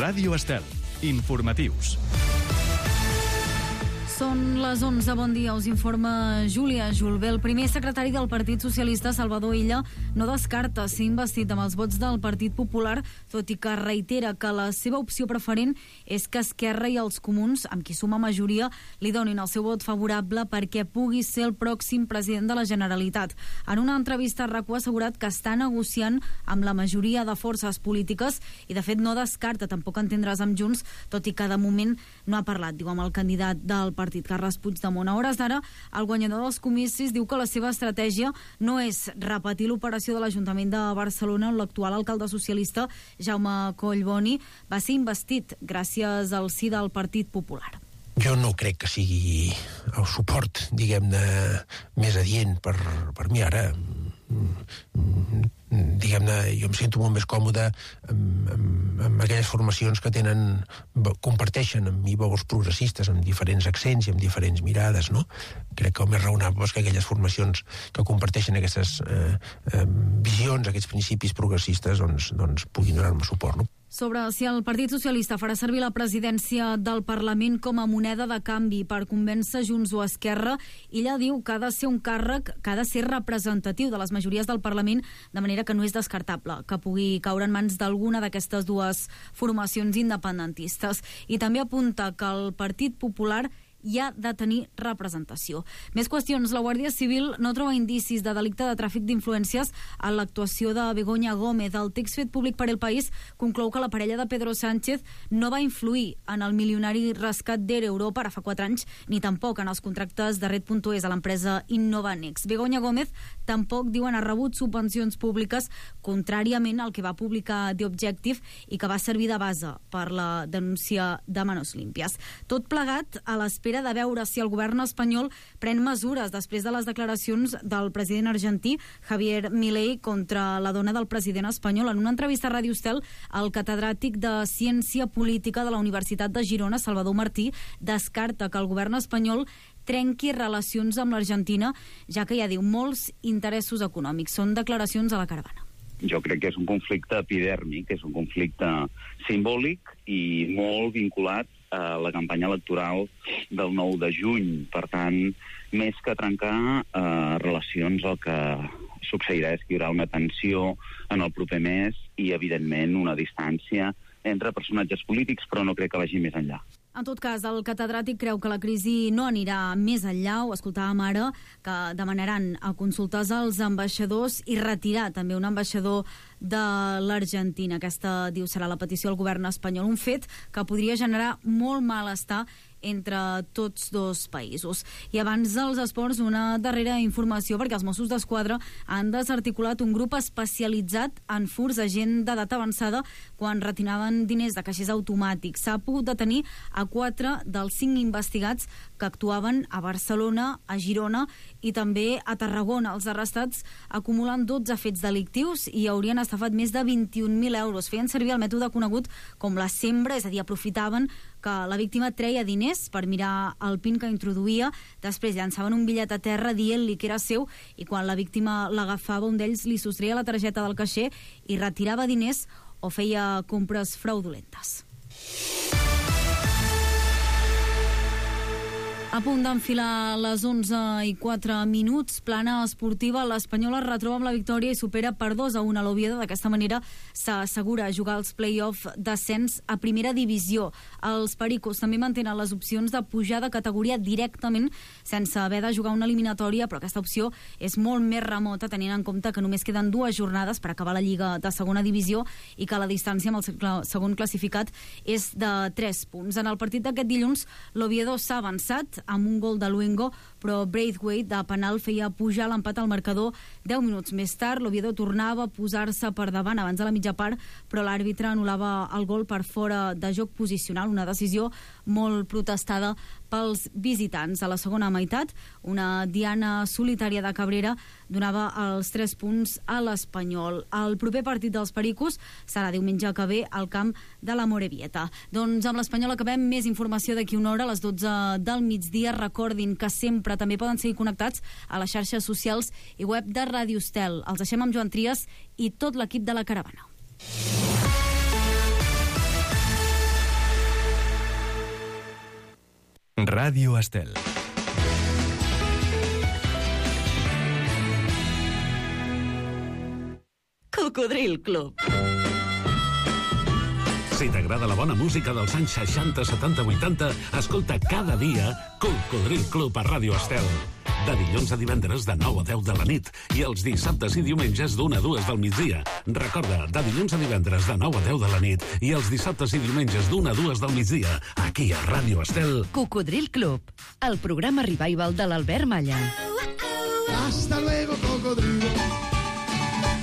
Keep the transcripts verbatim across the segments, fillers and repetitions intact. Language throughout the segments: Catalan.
Ràdio Estel. Informatius. Són les onze, bon dia, us informa Júlia Julbé. El primer secretari del Partit Socialista, Salvador Illa, no descarta ser investit amb els vots del Partit Popular, tot i que reitera que la seva opció preferent és que Esquerra i els Comuns, amb qui suma majoria, li donin el seu vot favorable perquè pugui ser el pròxim president de la Generalitat. En una entrevista, RAC u ha assegurat que està negociant amb la majoria de forces polítiques i, de fet, no descarta tampoc entendre's amb Junts, tot i que de moment no ha parlat, diu, amb el candidat del Partit Partit, Carles Puigdemont. A hores d'ara, el guanyador dels comicis diu que la seva estratègia no és repetir l'operació de l'Ajuntament de Barcelona on l'actual alcalde socialista, Jaume Collboni, va ser investit gràcies al sí del Partit Popular. Jo no crec que sigui el suport, diguem-ne, més adient per, per mi ara. Diguem-ne, jo em sento molt més còmode amb, amb, amb aquelles formacions que tenen, comparteixen amb mi valors progressistes, amb diferents accents i amb diferents mirades, no? Crec que el més raonable és que aquelles formacions que comparteixen aquestes eh, eh, visions, aquests principis progressistes, doncs, doncs puguin donar-me suport, no? Sobre si el Partit Socialista farà servir la presidència del Parlament com a moneda de canvi per convèncer Junts o Esquerra, ella diu que ha de ser un càrrec que ha de ser representatiu de les majories del Parlament, de manera que no és descartable que pugui caure en mans d'alguna d'aquestes dues formacions independentistes. I també apunta que el Partit Popular hi ha de tenir representació. Més qüestions. La Guàrdia Civil no troba indicis de delicte de tràfic d'influències en l'actuació de Begoña Gómez. El text fet públic per El País conclou que la parella de Pedro Sánchez no va influir en el milionari rescat d'Air Europa ara fa quatre anys, ni tampoc en els contractes de Red punt es a l'empresa Innovanex. Begoña Gómez tampoc, diuen, ha rebut subvencions públiques, contràriament al que va publicar The Objective i que va servir de base per la denúncia de Manos Limpias. Tot plegat a l'espera de veure si el govern espanyol pren mesures després de les declaracions del president argentí, Javier Milei, contra la dona del president espanyol. En una entrevista a Ràdio Estel, el catedràtic de Ciència Política de la Universitat de Girona, Salvador Martí, descarta que el govern espanyol trenqui relacions amb l'Argentina, ja que hi ha, diu, molts interessos econòmics. Són declaracions a La Caravana. Jo crec que és un conflicte epidèrmic, és un conflicte simbòlic i molt vinculat a la campanya electoral del nou de juny. Per tant, més que trencar eh, relacions, el que succeirà és que hi haurà una tensió en el proper mes i, evidentment, una distància entre personatges polítics, però no crec que vagi més enllà. En tot cas, el catedràtic creu que la crisi no anirà més enllà. Ho escoltàvem ara, que demanaran a consultar als ambaixadors i retirar també un ambaixador de l'Argentina. Aquesta, diu, serà la petició del govern espanyol, un fet que podria generar molt malestar entre tots dos països. I abans dels esports, una darrera informació, perquè els Mossos d'Esquadra han desarticulat un grup especialitzat en furts a gent d'edat avançada quan retiraven diners de caixers automàtics. S'ha pogut detenir a quatre dels cinc investigats que actuaven a Barcelona, a Girona i també a Tarragona. Els arrestats acumulen dotze fets delictius i haurien estafat més de vint-i-un mil euros. Feien servir el mètode conegut com la sembra, és a dir, aprofitaven que la víctima treia diners per mirar el PIN que introduïa, després llançaven un bitllet a terra dient-li que era seu i quan la víctima l'agafava, un d'ells li sostreia la targeta del caixer i retirava diners o feia compres fraudulentes. A punt d'enfilar les onze i quatre minuts, plana esportiva, l'Espanyol es retroba amb la victòria i supera per dos a un a l'Oviedo. D'aquesta manera s'assegura jugar els play-off d'ascens a primera divisió. Els pericos també mantenen les opcions de pujar de categoria directament sense haver de jugar una eliminatòria, però aquesta opció és molt més remota tenint en compte que només queden dues jornades per acabar la Lliga de segona divisió i que la distància amb el segon classificat és de tres punts. En el partit d'aquest dilluns, l'Oviedo s'ha avançat amb un gol de Luengo, però Braithwaite de penal feia pujar l'empat al marcador deu minuts més tard. L'Oviedo tornava a posar-se per davant abans de la mitja part, però l'àrbitre anul·lava el gol per fora de joc posicional, una decisió molt protestada pels visitants. A la segona meitat, una diana solitària de Cabrera donava els tres punts a l'Espanyol. El proper partit dels pericos serà diumenge que ve al camp de la Morevieta. Doncs amb l'Espanyol acabem. Més informació d'aquí una hora a les dotze del migdia. Recordin que sempre també poden seguir connectats a les xarxes socials i web de Ràdio Estel. Els deixem amb Joan Trias i tot l'equip de La Caravana. Ràdio Estel. Cocodril Club. Si t'agrada la bona música dels anys seixanta, setanta, vuitanta, escolta cada dia Cocodril Club a Ràdio Estel. De dilluns a divendres de nou a deu de la nit i els dissabtes i diumenges d'una a dues del migdia. Recorda, de dilluns a divendres de nou a deu de la nit i els dissabtes i diumenges d'una a dues del migdia, aquí a Ràdio Estel. Cocodril Club, el programa revival de l'Albert Malla. Hasta luego, cocodrilo.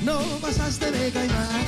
No pasaste de caimán.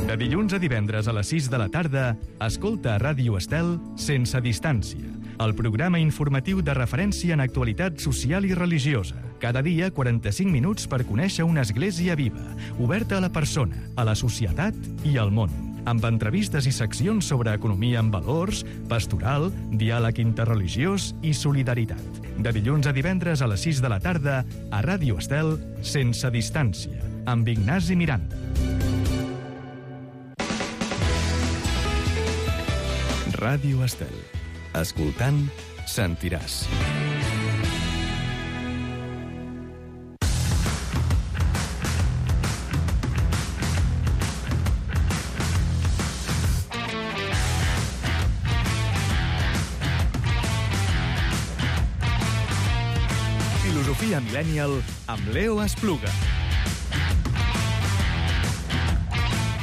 De dilluns a divendres a les sis de la tarda, escolta a Ràdio Estel Sense Distància, el programa informatiu de referència en actualitat social i religiosa. Cada dia, quaranta-cinc minuts per conèixer una església viva, oberta a la persona, a la societat i al món, amb entrevistes i seccions sobre economia amb valors, pastoral, diàleg interreligiós i solidaritat. De dilluns a divendres a les sis de la tarda, a Ràdio Estel Sense Distància, amb Ignasi Miranda. Ràdio Estel. Escoltant, sentiràs. Filosofia Millennial amb Leo Espluga.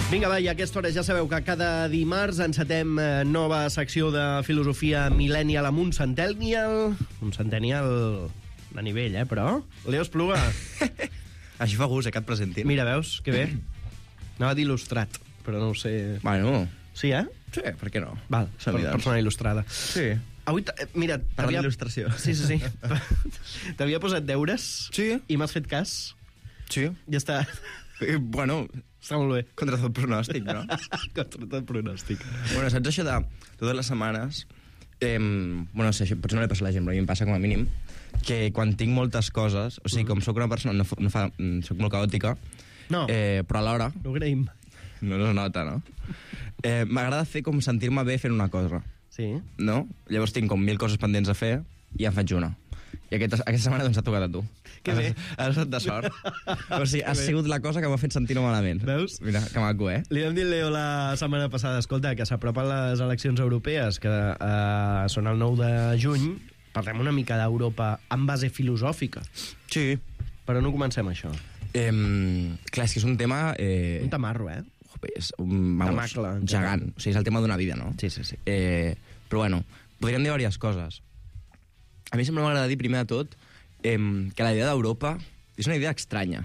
Vinga, va, i a aquesta hora ja sabeu que cada dimarts encetem eh, nova secció de filosofia millennial amb un centennial. Un centennial de nivell, eh, però... Leo Espluga. Així fa gust, eh, que et presentin. Mira, veus? Que bé. Anava a dir il·lustrat, però no ho sé... Bueno... Sí, eh? Sí, per què no? Val, per, persona il·lustrada. Sí. Avui, mira... Per la il·lustració. Sí, sí, sí. T'havia posat deures. Sí. I m'has fet cas. Sí. Ja està. Eh, bueno... Està molt bé. Contra tot pronòstic, no? Contra tot pronòstic. Bueno, saps això de totes les setmanes... Eh, bueno, no sé, potser no li passa a la gent, però a mi em passa com a mínim, que quan tinc moltes coses, o sigui, com sóc una persona, no, no fa, sóc molt caòtica, no. eh, però alhora... No ho agraïm. No, no es nota, no? Eh, M'agrada fer com sentir-me bé fent una cosa. Sí. No? Llavors tinc com mil coses pendents a fer i en faig una. I aquesta, aquesta setmana doncs t'ha tocat a tu. Que bé. Has estat de sort. O sigui, has sigut la cosa que m'ha fet sentir-me malament. Veus? Mira, que maco, eh? Li vam dir al Leo la setmana passada, escolta, que s'apropen les eleccions europees, que eh, són el nou de juny, parlem una mica d'Europa en base filosòfica. Sí. Però no comencem això. Eh, clar, és que és un tema... Eh... Un tamarro, eh? És un, vamos, Tamacle, gegant. O sigui, és el tema d'una vida, no? Sí, sí, sí. Eh, però bueno, podríem dir diverses coses. A mi sempre m'agrada dir, primer de tot, eh, que la idea d'Europa és una idea estranya.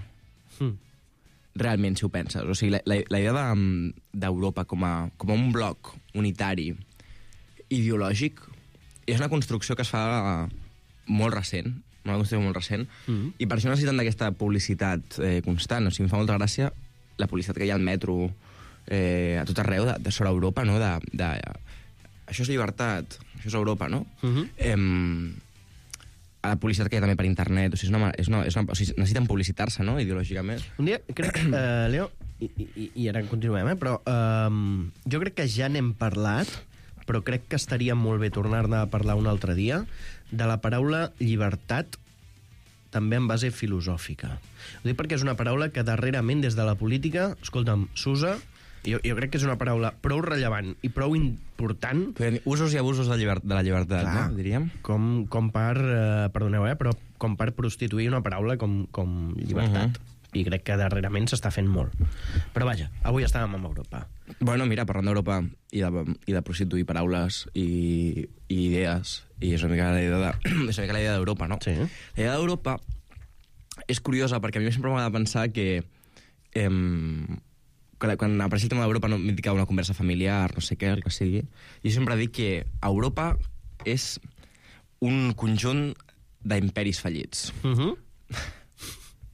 Mm. Realment, si ho penses. O sigui, la, la, la idea de, d'Europa com a, com a un bloc unitari ideològic és una construcció que es fa molt recent, una construcció molt recent, mm. i per això necessiten d'aquesta publicitat eh, constant. O sigui, em fa molta gràcia la publicitat que hi ha al metro eh, a tot arreu de, de sobre Europa, no? De, de, això és llibertat, això és Europa, no? Mm-hmm. Eh, a la publicitat que hi ha també per internet, o sigui, és una, és una, és una, o sigui, necessiten publicitar-se, no?, ideològicament. Un dia, crec, uh, Leo, i, i, i ara en continuem, eh, però um, jo crec que ja n'hem parlat, però crec que estaria molt bé tornar-ne a parlar un altre dia, de la paraula llibertat també en base filosòfica. Ho dic perquè és una paraula que darrerament des de la política, escolta'm, s'usa, jo, jo crec que és una paraula prou rellevant i prou important... Usos i abusos de, llibert, de la llibertat, clar, no? Diríem. Com, com per, eh, perdoneu, eh, però com per prostituir una paraula com, com llibertat. Uh-huh. I crec que darrerament s'està fent molt. Però vaja, avui estàvem amb Europa. Bueno, mira, parlant d'Europa i de, i de prostituir paraules i, i idees, i és una mica la idea de, és una mica la idea d'Europa, no? Sí. La idea d'Europa és curiosa perquè a mi sempre m'agrada pensar que eh, quan apareix el tema d'Europa no m'indica una conversa familiar, no sé què, el que sigui, i sempre dic que Europa és un conjunt d'imperis fallits. Uh-huh.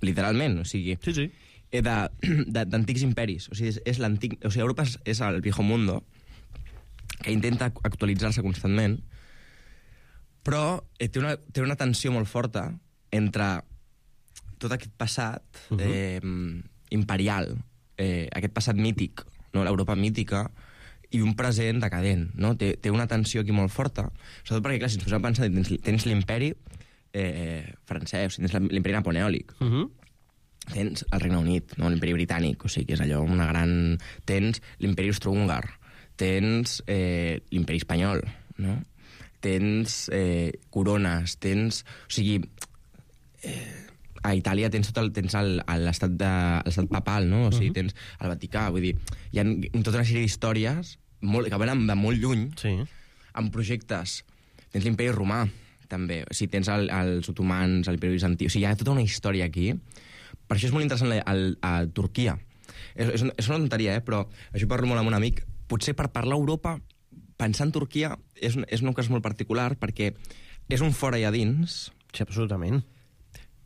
Literalment, o sigui... Sí, sí. D'antics imperis. O sigui, és, és l'antic... O sigui, Europa és, és el viejo mundo que intenta actualitzar-se constantment, però eh, té, una, té una tensió molt forta entre tot aquest passat uh-huh. eh, imperial, eh, aquest passat mític, no? L'Europa mítica, i un present decadent, no? Té, té una tensió aquí molt forta, sobretot perquè, clar, si ens posem a pensar, tens, tens l'imperi eh, francès, tens l'imperi napoleònic, uh -huh. tens el Regne Unit, no? L'imperi britànic, o sigui, que és allò, una gran... Tens l'imperi austro-húngar, tens eh, l'imperi espanyol, no? Tens eh, corones, tens... O sigui, eh, a Itàlia tens tot el, tens l'estat de papal, no? O sigui, uh -huh. tens el Vaticà, vull dir, hi ha tota una sèrie d'històries molt, que venen de molt lluny, sí. amb projectes. Tens l'imperi romà, també. O sigui, tens el, els otomans, l'imperi bizantí. O sigui, hi ha tota una història aquí. Per això és molt interessant a, a, a Turquia. És, és, és una tonteria, eh? Però això parlo molt amb un amic. Potser per parlar a Europa, pensar en Turquia és, és un cas molt particular, perquè és un fora i a dins. Sí, absolutament.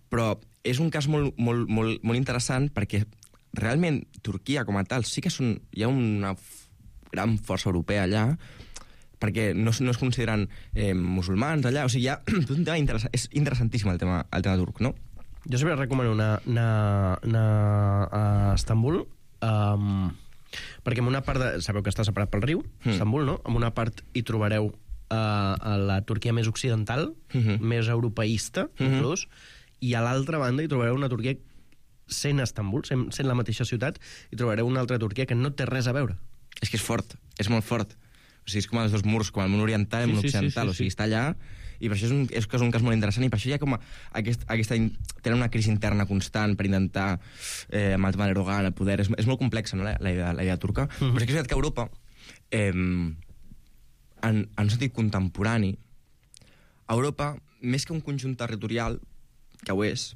Però és un cas molt, molt, molt, molt interessant perquè realment Turquia com a tal sí que són, hi ha una gran força europea allà, perquè no, no es consideren eh, musulmans allà, o sigui, hi ha un tema interessant, és interessantíssim el tema, el tema turc, no? Jo sempre recomano anar, anar, anar a Estambul, um, perquè en una part de... Sabeu que està separat pel riu, mm. Estambul, no? En una part hi trobareu uh, a la Turquia més occidental, mm-hmm. més europeista, mm-hmm. inclús, i a l'altra banda hi trobareu una Turquia, sent Estambul, sent, sent la mateixa ciutat, hi trobareu una altra Turquia que no té res a veure. És que és fort, és molt fort. O sigui, és com els dos murs, com el món oriental i el món sí, occidental. Sí, sí, sí, o sigui, està allà, i per això és un, és, és un cas molt interessant, i per això hi ha com a, aquest, aquesta... tenen una crisi interna constant per intentar, eh, amb el tema d'Erdogan, el poder... És, és molt complexa, no?, la, la, idea, la idea turca. Mm-hmm. Però sí que és veritat que Europa, eh, en, en un sentit contemporani, Europa, més que un conjunt territorial, que ho és,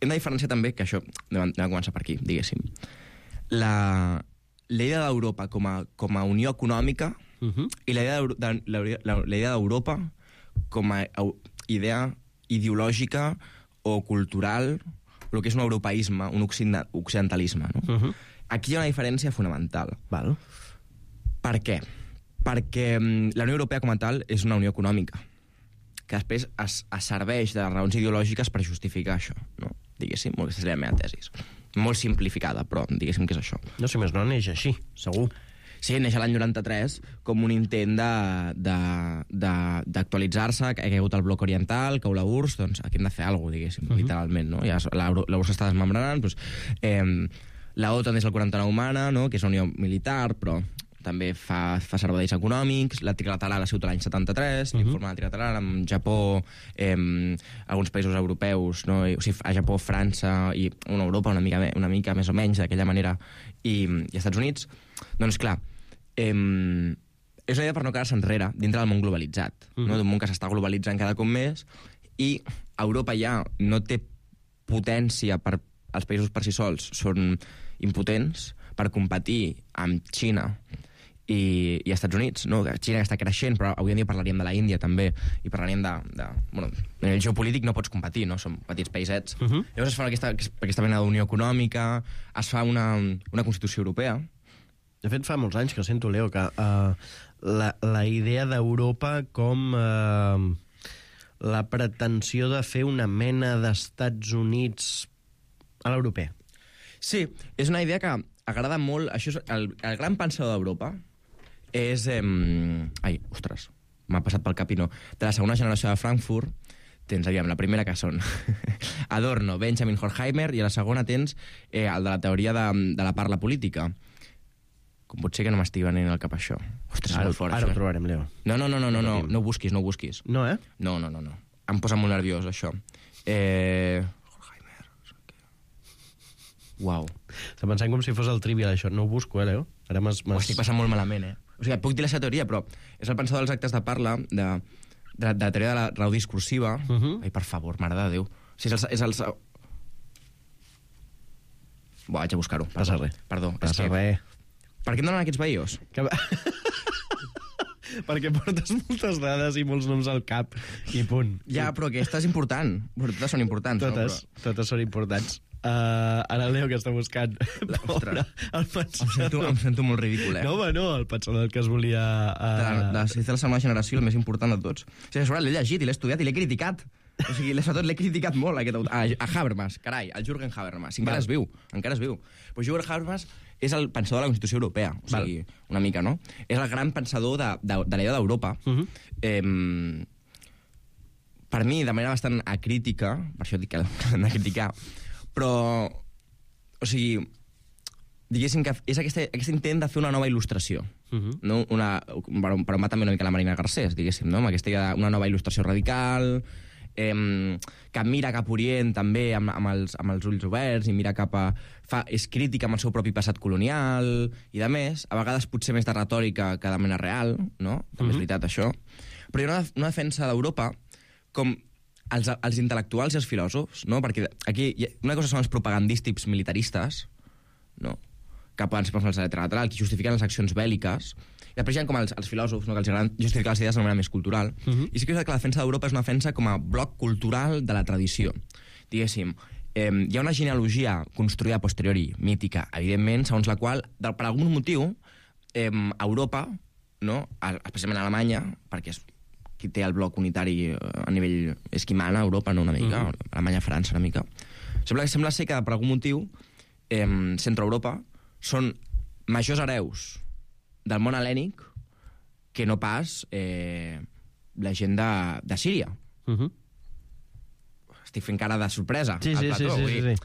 hem de diferenciar també, que això, anem a començar per aquí, diguéssim, la, la idea d'Europa com a, com a unió econòmica uh-huh. i la idea, de, la, la, la idea d'Europa com a idea ideològica o cultural, el que és un europeisme, un occidentalisme. No? Uh-huh. Aquí hi ha una diferència fonamental. Val. Per què? Perquè la Unió Europea com a tal és una unió econòmica, que després es, es serveix de raons ideològiques per justificar això, no? Diguéssim, aquesta és la meva tesis. Molt simplificada, però diguéssim que és això. No sé més, no neix així, segur. Sí, neix l'any noranta-tres com un intent d'actualitzar-se, que ha caigut el bloc oriental, cau la U R S S, doncs aquí hem de fer alguna cosa, diguéssim, uh-huh. literalment, no? Ja, la, la U R S S està desmembranant, doncs, eh, la OTAN és el quaranta-nou humana, no? Que és una unió militar, però també fa, fa serveis econòmics, la trilateral ha sigut l'any setanta-tres, uh-huh. l'informe de la trilateral amb Japó, eh, alguns països europeus, no? I, o sigui, a Japó, França i una Europa una mica, una mica més o menys d'aquella manera, i, i Estats Units. Doncs clar, eh, és una idea per no quedar-se enrere dintre del món globalitzat, uh-huh. no? D'un món que s'està globalitzant cada cop més, i Europa ja no té potència per... Els països per si sols són impotents per competir amb Xina i, i Estats Units, no? Xina està creixent, però avui en dia parlaríem de la Índia també, i parlaríem de... de bueno, en el geopolític no pots competir, no? Som petits païsets. Uh-huh. Llavors es fa aquesta, aquesta mena d'unió econòmica, es fa una, una Constitució Europea. De fet, fa molts anys que sento, Leo, que uh, la, la idea d'Europa com uh, la pretensió de fer una mena d'Estats Units a l'europea. Sí, és una idea que agrada molt... Això és el, el gran pensador d'Europa és... Eh, ai, ostres, m'ha passat pel cap i no. De la segona generació de Frankfurt tens, aviam, la primera que són Adorno, Benjamin Horkheimer, i a la segona tens eh, el de la teoria de, de la parla política. Com pot ser que no m'estigui venint al cap això? Ostres, ara, molt fort, ara això. Ho trobarem, Leo. No, no, no, no, no, no, no ho busquis, no ho busquis. No, eh? No, no, no, no. Em posa molt nerviós, això. Eh... Uau. Està pensant com si fos el trivial, això. No ho busco, eh, Leo? Ara m'has... Ho estic passant molt malament, eh? O sigui, puc dir la seva teoria, però és el pensador dels actes de parla, de, de, de la teoria de la raó discursiva. Uh-huh. Ai, per favor, mare de Déu. O sigui, és el... És el... Buah, haig de buscar-ho. Passa res. Perdó. Passa que... res. Per què em donen aquests veïos? Que... Perquè portes moltes dades i molts noms al cap, i punt. Ja, però aquesta és important. Totes són importants, totes, no? Però... Totes són importants. Uh, ara el Leo que està buscant Pobre, el pensador. Em sento, em sento molt ridícul, eh? No, home, no, el pensador que es volia... Uh... De, la, de, la, de la segona generació, el més important de tots. O sigui, sobre l'he llegit i l'he estudiat i l'he criticat. O sigui, sobretot l'he criticat molt, aquest autor. A, a Habermas, carai, el Jürgen Habermas. Encara es viu, encara es viu. Però Jürgen Habermas és el pensador de la Constitució Europea. O sigui, Val. una mica, no? És el gran pensador de, de, de l'idea d'Europa. Uh -huh. eh, per mi, de manera bastant acrítica, per això dic que l'hem de criticar, però, o sigui, diguéssim que és aquest, aquest intent de fer una nova il·lustració. Uh -huh. No? Una, per, per on va també una mica la Marina Garcés, diguéssim, no? Amb aquesta idea d'una nova il·lustració radical, eh, que mira cap a Orient també amb, amb, els, amb els ulls oberts i mira cap a... Fa, és crítica amb el seu propi passat colonial i de més, a vegades potser més de retòrica que de mena real, no? També uh -huh. és veritat això. Però hi ha una, una defensa d'Europa com els, els intel·lectuals i els filòsofs, no? Perquè aquí una cosa són els propagandístics militaristes, no? Que poden ser per la lateral, que justifiquen les accions bèl·liques, i després hi ha com els, els filòsofs, no? Que els agraden justificar les idees de manera més cultural. Uh -huh. I sí que és que la defensa d'Europa és una defensa com a bloc cultural de la tradició. Diguéssim, eh, hi ha una genealogia construïda a posteriori, mítica, evidentment, segons la qual, per algun motiu, eh, Europa, no? Especialment Alemanya, perquè és qui té el bloc unitari a nivell... és qui mana a Europa, no una mica, uh -huh. Alemanya, França, una mica. Sembla, sembla ser que per algun motiu, eh, Centroeuropa són majors hereus del món hel·lènic que no pas eh, la gent de, de Síria. Uh -huh. Estic fent cara de sorpresa sí, al sí, plató. Sí, sí, sí, sí.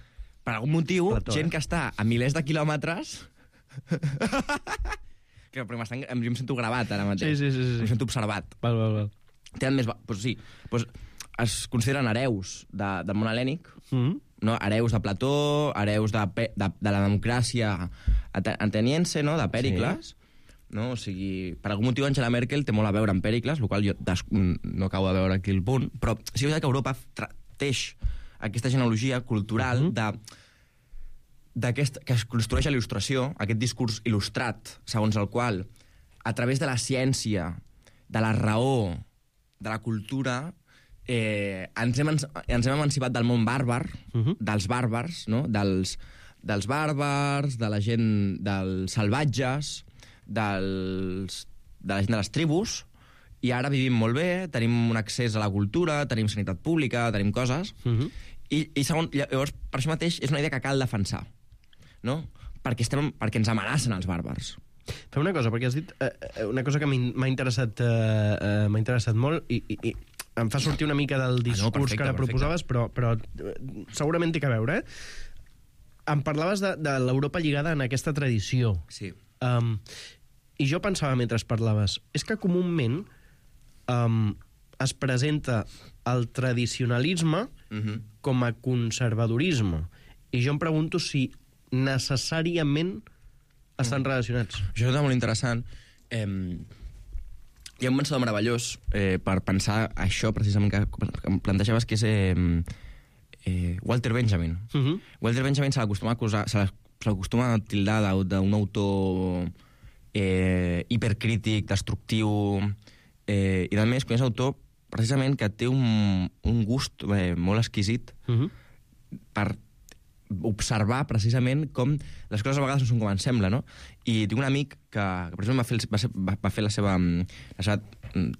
Per algun motiu, plató, gent eh? que està a milers de quilòmetres... que, però jo em sento gravat ara mateix. Sí, sí, sí, sí. Em sento observat. Val, val, val. Tenen més... Pues sí, pues es consideren hereus de, del món hel·lènic, uh -huh. no? Hereus de Plató, hereus de, de, de la democràcia ateniense, no? De Pèricles, sí. No? O sigui, per algun motiu Angela Merkel té molt a veure amb Pèricles, el qual jo des... no acabo de veure aquí el punt, però sí que Europa teix aquesta genealogia cultural uh -huh. de, d'aquest, que es construeix a l'il·lustració, aquest discurs il·lustrat, segons el qual, a través de la ciència, de la raó, de la cultura, eh, ens, hem, ens hem emancipat del món bàrbar, uh -huh. dels bàrbars, no? dels, dels bàrbars, de la gent, dels salvatges, dels, de la gent de les tribus, i ara vivim molt bé, tenim un accés a la cultura, tenim sanitat pública, tenim coses, uh -huh. i, i segon, llavors, per això mateix, és una idea que cal defensar, no? Perquè, estem, perquè ens amenacen els bàrbars. Fem una cosa, perquè has dit eh, una cosa que m'ha interessat, eh, eh, m'ha interessat molt i, i, i em fa sortir una mica del discurs ah, no, perfecte, que ara perfecte. proposaves, però, però eh, segurament té que veure, eh? Em parlaves de, de l'Europa lligada en aquesta tradició. Sí. Um, I jo pensava, mentre parlaves, és que comúment um, es presenta el tradicionalisme uh-huh. com a conservadorisme. I jo em pregunto si necessàriament estan relacionats. Això és molt interessant. Eh, hi ha un pensador meravellós eh, per pensar això, precisament, que, que em plantejaves, que és eh, eh, Walter Benjamin. Uh-huh. Walter Benjamin se l'acostuma a acusar, se l'acostuma a tildar d'un autor eh, hipercrític, destructiu, eh, i, a més, quan és autor, precisament, que té un, un gust eh, molt exquisit uh-huh. per observar precisament com les coses a vegades no són com ens sembla, no? I tinc un amic que, que per exemple, va fer, el, va, ser, va, va fer la seva, la seva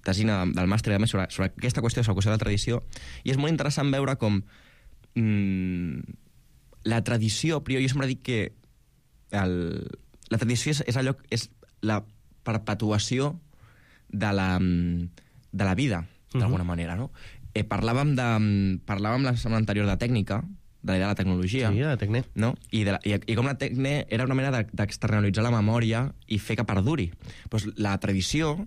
tesina del màster sobre, sobre aquesta qüestió, sobre la qüestió de la tradició, i és molt interessant veure com mmm, la tradició, però jo sempre dic que el, la tradició és, és allò, és la perpetuació de la, de la vida, d'alguna uh-huh. manera, no? Eh, parlàvem de, parlàvem la setmana anterior de tècnica, de la idea de la tecnologia. Sí, de la tecne. No? I, de la, i, I com la tecne era una manera d'externalitzar la memòria i fer que perduri. Pues la tradició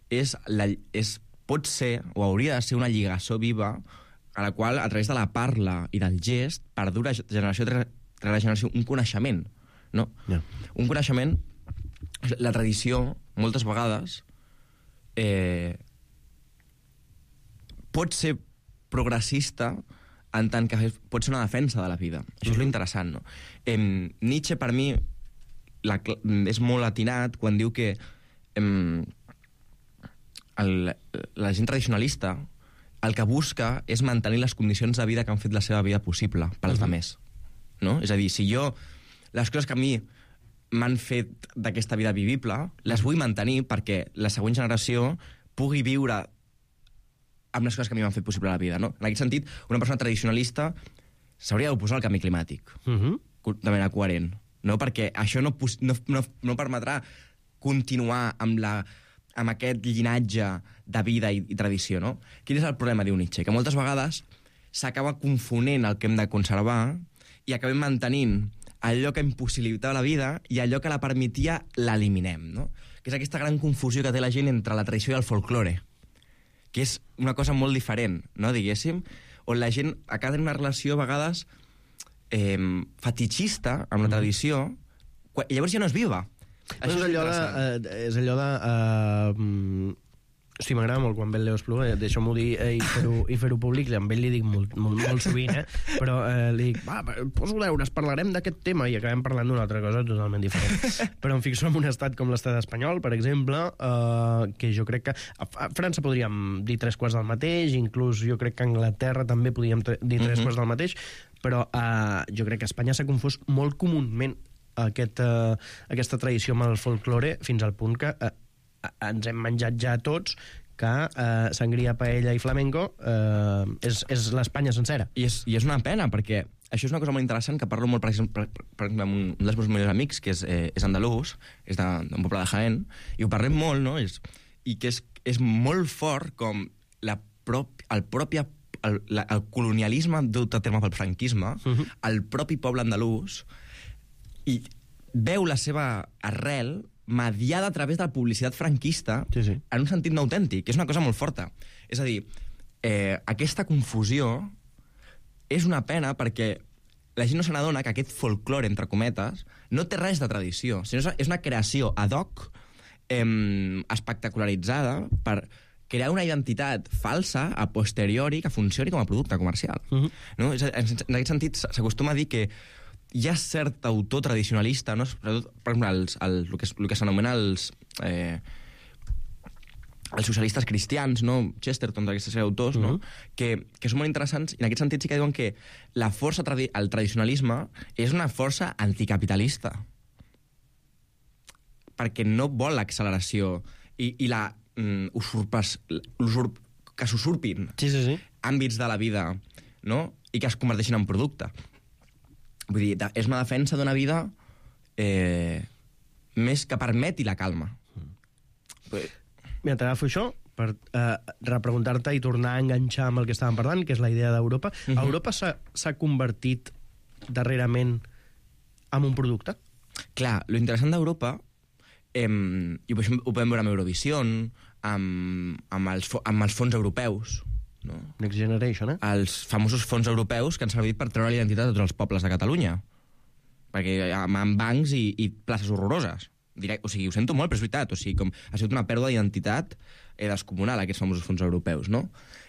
és, la, és, pot ser, o hauria de ser, una lligació viva a la qual, a través de la parla i del gest, perdura generació rere generació un coneixement. No? Yeah. Un coneixement, la tradició, moltes vegades, eh, pot ser progressista en tant que pot ser una defensa de la vida. Això és l'interessant, no? Eh, Nietzsche, per mi, la, és molt atinat quan diu que eh, el, la gent tradicionalista el que busca és mantenir les condicions de vida que han fet la seva vida possible per als uh-huh. altres. No? És a dir, si jo les coses que a mi m'han fet d'aquesta vida vivible, les vull mantenir perquè la següent generació pugui viure amb les coses que a mi m'han fet possible la vida, no? En aquest sentit, una persona tradicionalista s'hauria d'oposar al canvi climàtic, Uh-huh. de manera coherent, no? Perquè això no, no, no, no permetrà continuar amb, la, amb aquest llinatge de vida i, i tradició, no? Quin és el problema, diu Nietzsche? Que moltes vegades s'acaba confonent el que hem de conservar i acabem mantenint allò que impossibilitava la vida i allò que la permetia l'eliminem, no? Que és aquesta gran confusió que té la gent entre la tradició i el folklore, que és una cosa molt diferent, no, diguéssim, on la gent acaba tenint una relació a vegades eh, fetichista amb la tradició, i llavors ja no és viva. Això és allò de... Eh, és allò de eh, hosti, m'agrada molt quan ve el Leo Espluga, deixa'm-ho dir eh, i fer-ho fer públic, amb ell li dic molt, molt, molt sovint, eh? Però eh, li dic, va, poso deures, parlarem d'aquest tema, i acabem parlant d'una altra cosa totalment diferent. Però em fixo en un estat com l'estat espanyol, per exemple, eh, que jo crec que a França podríem dir tres quarts del mateix, inclús jo crec que a Anglaterra també podríem dir tres uh-huh. quarts del mateix, però eh, jo crec que a Espanya s'ha confós molt comúment aquest, eh, aquesta tradició amb el folklore fins al punt que eh, ens hem menjat ja tots que eh, sangria, paella i flamenco eh, és, és l'Espanya sencera. I és, I és una pena, perquè això és una cosa molt interessant que parlo molt, per exemple, per, per exemple amb un dels meus millors amics, que és, eh, és andalús, és d'un poble de Jaén, i ho parlem molt, no? És, i que és, és molt fort com la prop, el propi el, la, el colonialisme dut a terme pel franquisme, uh-huh. el propi poble andalús, i veu la seva arrel mediada a través de la publicitat franquista sí, sí. en un sentit no autèntic, que és una cosa molt forta. És a dir, eh, aquesta confusió és una pena perquè la gent no se n'adona que aquest folklore, entre cometes, no té res de tradició, sinó és una creació ad hoc eh, espectacularitzada per crear una identitat falsa a posteriori que funcioni com a producte comercial. Uh-huh. No? En aquest sentit, s'acostuma a dir que hi ha cert autor tradicionalista, no? Per exemple, els, el, el que, el que s'anomena els, eh, els socialistes cristians, no? Chesterton, d'aquestes sèrie d'autors, uh-huh. no? que, que són molt interessants, i en aquest sentit sí que diuen que la força, tradi el tradicionalisme, és una força anticapitalista, perquè no vol l'acceleració i, i la mm, usurpes, usurp, que s'usurpin sí, sí, sí. àmbits de la vida, no? I que es converteixin en producte. Vull dir, és una defensa d'una vida eh, més que permeti la calma. Mm. Mira, t'agafo això per eh, repreguntar-te i tornar a enganxar amb el que estàvem parlant, que és la idea d'Europa. Uh-huh. Europa s'ha convertit darrerament en un producte? Clar, lo interessant d'Europa, eh, i ho podem veure amb Eurovisió, amb, amb, els, amb els fons europeus, no? Next Generation, eh? Els famosos fons europeus que han servit per treure l'identitat de tots els pobles de Catalunya. Perquè amb bancs i, i places horroroses. Direct, o sigui, ho sento molt, però és veritat. O sigui, com ha sigut una pèrdua d'identitat eh, descomunal, aquests famosos fons europeus, no?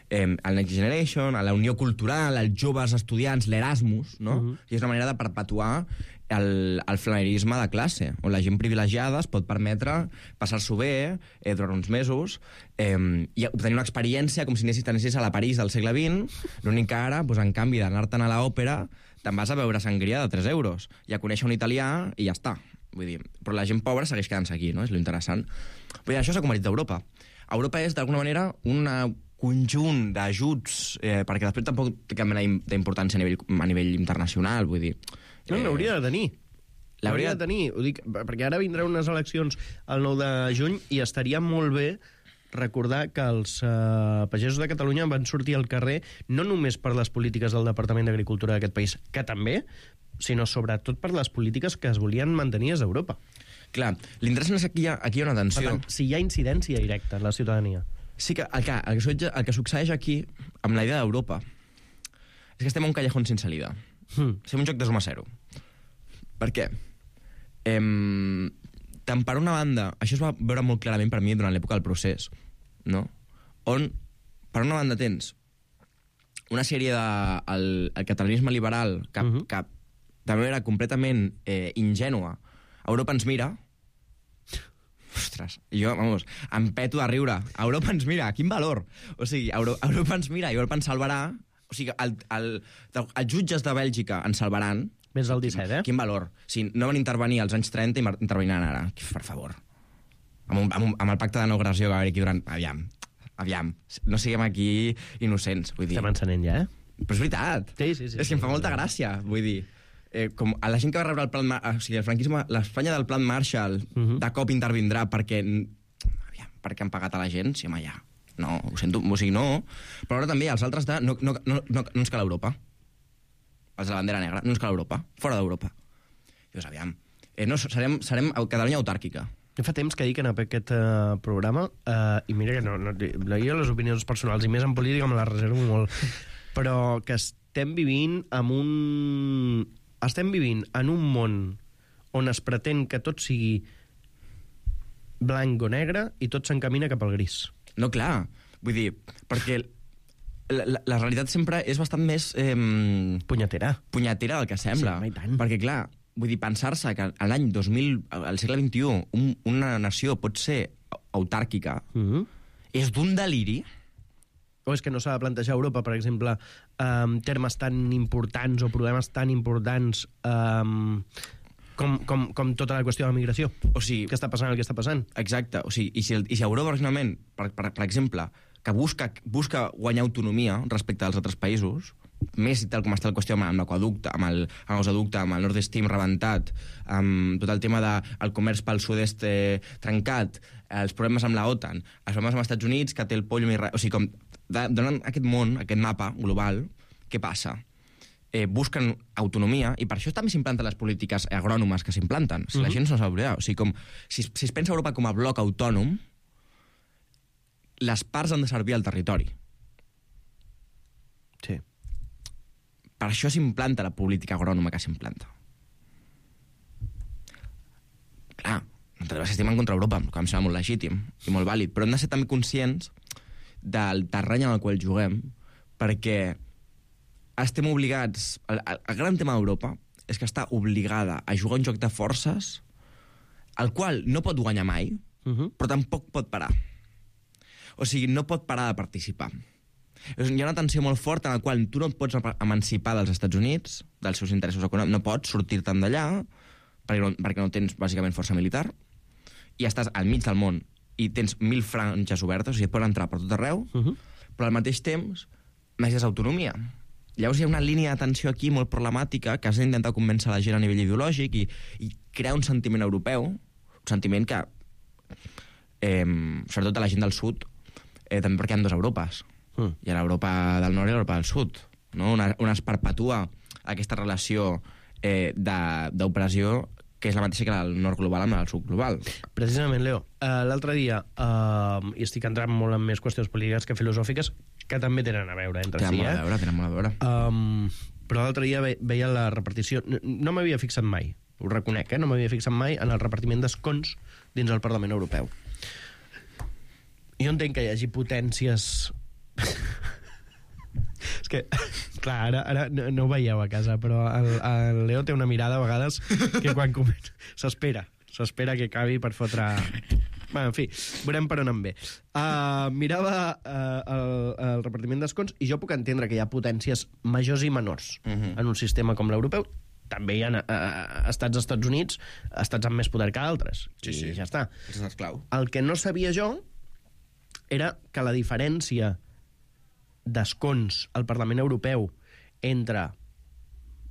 Eh, el Next Generation, la Unió Cultural, els joves estudiants, l'Erasmus, no? Uh-huh. I és una manera de perpetuar el, el flanerisme de classe, on la gent privilegiada es pot permetre passar-s'ho bé eh, durant uns mesos eh, i obtenir una experiència com si anessis a la París del segle vint, l'únic que ara, doncs, en canvi d'anar-te'n a l'òpera, te'n vas a veure sangria de tres euros i a conèixer un italià i ja està. Vull dir, però la gent pobra segueix quedant-se aquí, no? És lo interessant. Vull dir, això s'ha convertit a Europa. Europa és, d'alguna manera, un conjunt d'ajuts, eh, perquè després tampoc té cap mena d'importància a nivell, a nivell internacional, vull dir... No, l'hauria de tenir. L'hauria de tenir. Ho dic, perquè ara vindran unes eleccions el nou de juny i estaria molt bé recordar que els eh, pagesos de Catalunya van sortir al carrer no només per les polítiques del Departament d'Agricultura d'aquest país, que també, sinó sobretot per les polítiques que es volien mantenir des d'Europa. Clar, l'interessant és que aquí hi ha, aquí hi ha una tensió. Per tant, si hi ha incidència directa en la ciutadania. Sí que el que, el que, el que succeeix aquí, amb la idea d'Europa, és que estem a un callejón sense salida. Hmm. Estem un joc de suma zero. Per què? Em, tant per una banda, això es va veure molt clarament per mi durant l'època del procés, no? On, per una banda, tens una sèrie de... el, el catalanisme liberal, que, uh-huh. que també era completament eh, ingènua. Europa ens mira... Ostres, jo, vamos, em peto de riure. Europa ens mira, quin valor! O sigui, Euro, Europa ens mira i Europa ens salvarà. O sigui, el, el, els jutges de Bèlgica ens salvaran. Més del disset, eh? Quin valor. Si no van intervenir als anys trenta i interveniran ara. Per favor. Amb, un, amb, un, amb el pacte de no agressió que va haver aquí durant... Aviam. aviam, no siguem aquí innocents, vull dir... Estem encenent ja, eh? Però és veritat. Sí, sí, sí. És que em fa molta gràcia, vull dir... Eh, com a la gent que va rebre el plan... Mar... O sigui, el franquisme, l'Espanya del plan Marshall, uh -huh. de cop intervindrà perquè... Aviam, perquè han pagat a la gent, sí, home, ja. No, ho sento, o sigui, no. Però ara també els altres de... No, no, no, no, no ens cal Europa. Els de la bandera negra, no ens cal Europa. Fora d'Europa. Dius, aviam, eh, no, serem, serem Catalunya autàrquica. Jo fa temps que dic en aquest uh, programa, uh, i mira que no, no, jo les opinions personals, i més en política me les reservo molt, però que estem vivint amb un... Estem vivint en un món on es pretén que tot sigui blanc o negre i tot s'encamina cap al gris. No, clar. Vull dir, perquè la, la, la realitat sempre és bastant més... Eh, punyetera. Punyetera del que sembla. Sí, tant. Perquè, clar, vull dir, pensar-se que a l'any dos mil, al segle vint-i-u, un, una nació pot ser autàrquica, Mm-hmm. és d'un deliri. O és que no s'ha de plantejar a Europa, per exemple, um, termes tan importants o problemes tan importants um, com, com, com tota la qüestió de la migració. O sigui... Què està passant el que està passant? Exacte. O sigui, i si, el, i si Europa, originalment, per, per, per exemple, que busca, busca guanyar autonomia respecte als altres països, més i tal com està la qüestió amb l'aquaducte, amb el amb gasoducte, amb el Nord Stream rebentat, amb tot el tema del de, comerç pel sud-est eh, trencat, els problemes amb la OTAN, els problemes amb els Estats Units, que té el pollo... O sigui, com donant aquest món, aquest mapa global, què passa? Eh, busquen autonomia, i per això també s'implanten les polítiques agrònomes que s'implanten. Si la gent no s'ha d'oblidar. O sigui, com, si, si es pensa Europa com a bloc autònom, les parts han de servir al territori. Sí. Per això s'implanta la política agrònoma que s'implanta. Clar, nosaltres estem en contra Europa, que em sembla molt legítim i molt vàlid, però hem de ser també conscients del terreny en el qual juguem, perquè estem obligats... El, el gran tema d'Europa és que està obligada a jugar un joc de forces el qual no pot guanyar mai, uh-huh. però tampoc pot parar. O sigui, no pot parar de participar. Hi ha una tensió molt forta en la qual tu no et pots emancipar dels Estats Units, dels seus interessos econòmics, no pots sortir-te'n d'allà, perquè no, perquè no tens, bàsicament, força militar, i estàs al mig del món, i tens mil franges obertes, o sigui, et poden entrar per tot arreu, uh-huh. però al mateix temps necessites autonomia. Llavors hi ha una línia de tensió aquí molt problemàtica que has d'intentar convèncer la gent a nivell ideològic i, i crear un sentiment europeu, un sentiment que, eh, sobretot a la gent del sud, eh, també perquè hi ha dues Europes. Mm. Hi ha l'Europa del nord i l'Europa del sud. No? Una, una es perpetua aquesta relació eh, d'opressió que és la mateixa que el nord global amb el sud global. Precisament, Leo, uh, l'altre dia, uh, i estic entrant molt en més qüestions polítiques que filosòfiques, que també tenen a veure entre tenen si, molt eh? a veure, tenen molt a veure. Um, però l'altre dia ve, veia la repartició... No, no m'havia fixat mai, ho reconec, eh? No m'havia fixat mai en el repartiment d'escons dins el Parlament Europeu. Jo entenc que hi hagi potències... És que, clar, ara, ara no, no ho veieu a casa, però el, el Leo té una mirada a vegades que quan comença... S'espera, s'espera que acabi per fotre... Bé, en fi, veurem per on em ve. Uh, mirava uh, el, el repartiment d'escons i jo puc entendre que hi ha potències majors i menors uh-huh. en un sistema com l'europeu. També hi ha uh, estats als Estats Units, estats amb més poder que altres. Sí, I sí. ja està. És esclau. El que no sabia jo era que la diferència d'escons al Parlament Europeu entre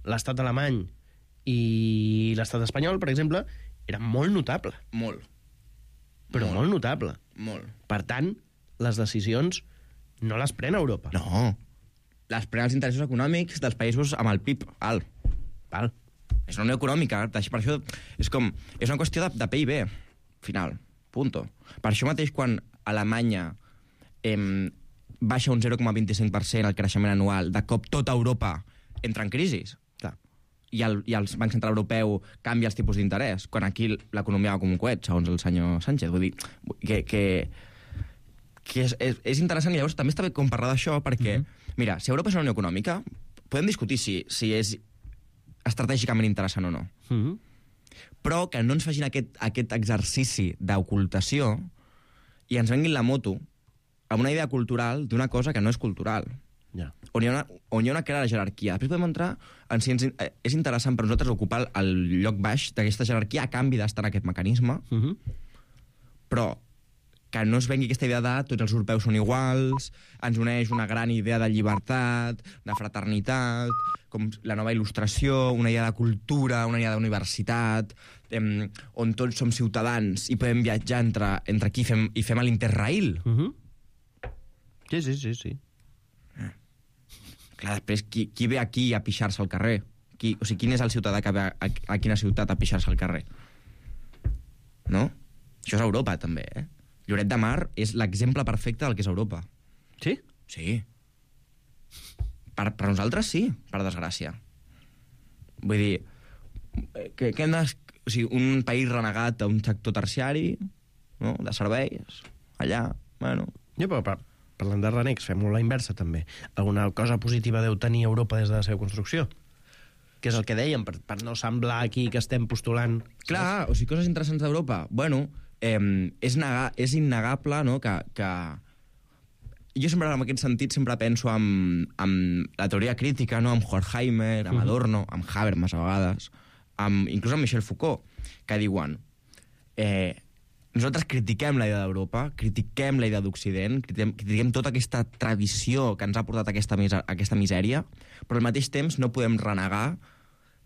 l'estat alemany i l'estat espanyol, per exemple, era molt notable. Molt. Però molt, molt notable. Molt. Per tant, les decisions no les pren Europa. No. Les pren els interessos econòmics dels països amb el P I B alt. Val. És una unió econòmica. Per això és com... És una qüestió de, de P I B, final. Punto. Per això mateix, quan Alemanya eh, baixa un zero coma vint-i-cinc per cent el creixement anual, de cop tota Europa entra en crisi. Clar. I el, i el Banc Central Europeu canvia els tipus d'interès, quan aquí l'economia va com un coet, segons el senyor Sánchez. Vull dir que, que, que és, és, és interessant, i llavors també està bé com parlar d'això, perquè, mm-hmm. mira, si Europa és una unió econòmica, podem discutir si, si és estratègicament interessant o no. Mm-hmm. Però que no ens facin aquest, aquest exercici d'ocultació i ens venguin la moto amb una idea cultural d'una cosa que no és cultural. Ja. On hi ha una, on hi ha una clara jerarquia. Després podem entrar en si ens, eh, és interessant per nosaltres ocupar el, el lloc baix d'aquesta jerarquia a canvi d'estar en aquest mecanisme, Mm-hmm. però que no es vengui aquesta idea de tots els europeus són iguals, ens uneix una gran idea de llibertat, de fraternitat, com la nova il·lustració, una idea de cultura, una idea d'universitat, eh, on tots som ciutadans i podem viatjar entre, entre aquí i fem, i fem l'Interrail. Uh-huh. Sí, sí, sí, sí. Eh. Clar, després, qui, qui ve aquí a pixar-se al carrer? Qui, o sigui, quin és el ciutadà que ve a, a, a quina ciutat a pixar-se al carrer? No? Això és Europa, també, eh? Lloret de Mar és l'exemple perfecte del que és Europa. Sí? Sí. Per, per nosaltres sí, per desgràcia. Vull dir, que, que hem de, o sigui, un país renegat a un sector terciari, no?, de serveis, allà, bueno... Ja, però per, parlant de renecs, fem-ho la inversa, també. Alguna cosa positiva deu tenir Europa des de la seva construcció? Que és el que dèiem, per, per no semblar aquí que estem postulant... Clar, o sigui, coses interessants d'Europa. Bueno, eh, és, nega, és innegable, no?, que, que... Jo sempre, en aquest sentit, sempre penso en, en la teoria crítica, no?, amb Horkheimer, amb Adorno, amb Habermas, a vegades, amb, inclús amb Michel Foucault, que diuen... Eh, nosaltres critiquem la idea d'Europa, critiquem la idea d'Occident, critiquem, critiquem tota aquesta tradició que ens ha portat a aquesta, a aquesta misèria, però al mateix temps no podem renegar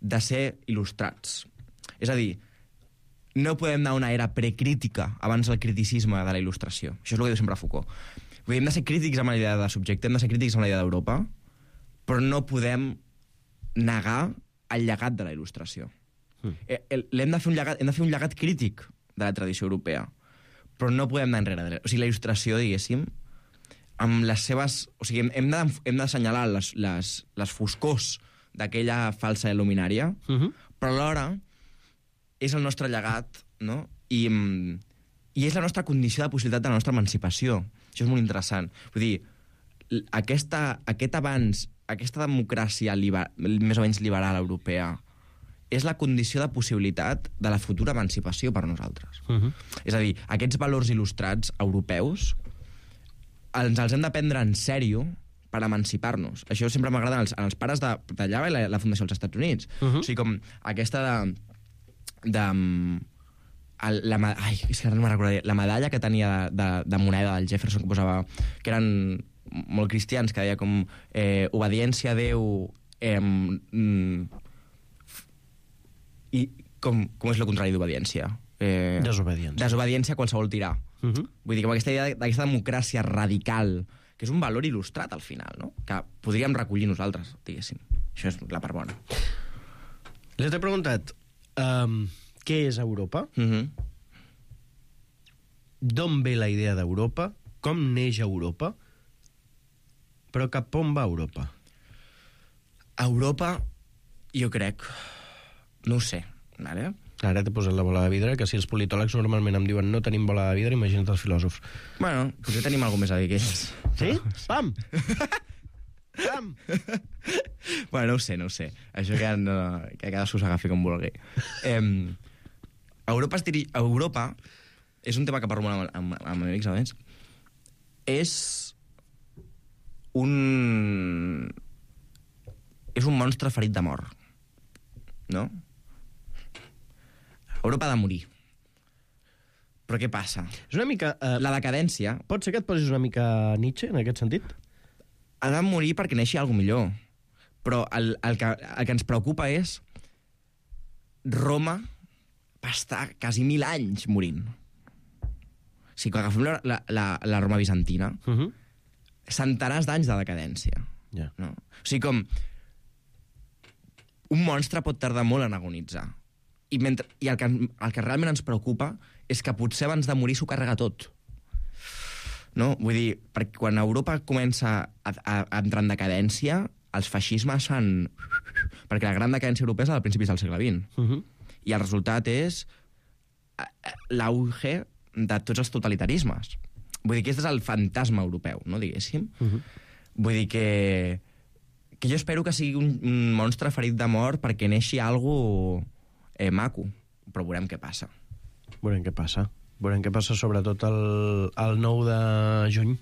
de ser il·lustrats. És a dir, no podem anar a una era precrítica abans del criticisme de la il·lustració. Això és el que diu sempre Foucault. Vull dir, hem de ser crítics amb la idea de subjecte, hem de ser crítics amb la idea d'Europa, però no podem negar el llegat de la il·lustració. Mm. Hem de fer un llegat, hem de fer un llegat crític de la tradició europea, però no podem anar enrere. O sigui, la il·lustració, diguéssim, amb les seves... O sigui, hem de, hem d'assenyalar les, les, les foscors d'aquella falsa il·luminària, uh-huh. però alhora és el nostre llegat, no?, I, i és la nostra condició de possibilitat de la nostra emancipació. Això és molt interessant. Vull dir, aquesta, aquest avanç, aquesta democràcia liber, més o menys liberal europea, és la condició de possibilitat de la futura emancipació per nosaltres. Uh-huh. És a dir, aquests valors il·lustrats europeus ens els hem de prendre en sèrio per emancipar-nos. Això sempre m'agrada als, als pares de, d'allà i la, la Fundació dels Estats Units. Uh-huh. O sigui, com aquesta de... de el, la, ai, és que ara no me'n recordaré. La medalla que tenia de, de, de moneda del Jefferson, que posava... que eren molt cristians, que deia com eh, obediència a Déu... Eh, mm, I com, com és el contrari d'obediència? Eh, desobediència. Desobediència a qualsevol tirà. Uh-huh. Vull dir, com aquesta idea d'aquesta democràcia radical, que és un valor il·lustrat al final, no?, que podríem recollir nosaltres, diguéssim. Això és la part bona. Les he preguntat um, què és Europa? Uh-huh. D'on ve la idea d'Europa? Com neix Europa? Però cap on va Europa? Europa, jo crec... No ho sé, ara... Ara t'he posat la bola de vidre, que si els politòlegs normalment em diuen no tenim bola de vidre, imagina't els filòsofs. Bueno, potser tenim alguna més a dir que ells. Sí? Pam! Pam! Bueno, no ho sé, no ho sé. Això que, no, que cadascú s'agafi com vulgui. Eh, Europa, es diri... Europa és un tema que parlo amb, amb, amb amics, a més. És un... És un monstre ferit de mort. No? Europa ha de morir. Però què passa? És una mica... Uh, la decadència... Pot ser que et posis una mica Nietzsche, en aquest sentit? Ha de morir perquè neixi alguna millor. Però el, el, que, el que ens preocupa és Roma va estar quasi mil anys morint. O sigui, quan agafem la, la, la, la Roma bizantina, uh-huh. centenars d'anys de decadència. Yeah. No? O sigui, com... Un monstre pot tardar molt en agonitzar. I, mentre, i el, que, el que realment ens preocupa és que potser abans de morir s'ho carrega tot. No? Vull dir, perquè quan Europa comença a, a, a entrar en decadència, els feixismes fan... Perquè la gran decadència europea és al principis del segle vint. Uh-huh. I el resultat és l'auge de tots els totalitarismes. Vull dir que aquest és el fantasma europeu, no, diguéssim. Uh-huh. Vull dir que... que jo espero que sigui un, un monstre ferit de mort perquè neixi algo eh, maco, però veurem què passa. Veurem què passa. Veurem què passa sobretot el, el nou de juny.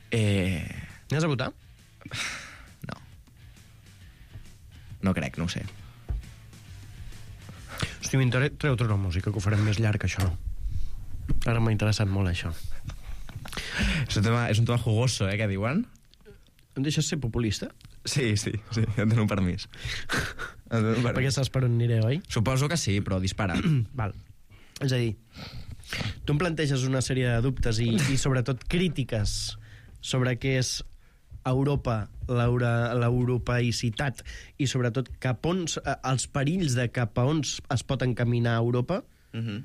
Eh... Anaves a votar? No. No crec, no ho sé. Hosti, m'interessa... Treu tota la música, que ho farem més llarg, això. Ara m'ha interessat molt això. És un tema, és un tema jugoso, eh, que diuen. Em deixes ser populista? Sí, sí, sí, em dono un permís. Em dono un permís. Perquè saps per on aniré, oi? Suposo que sí, però dispara. Val. És a dir, tu em planteges una sèrie de dubtes i, i sobretot crítiques sobre què és Europa, l'europeïcitat i sobretot cap on, els perills de cap a on es pot encaminar Europa, uh-huh.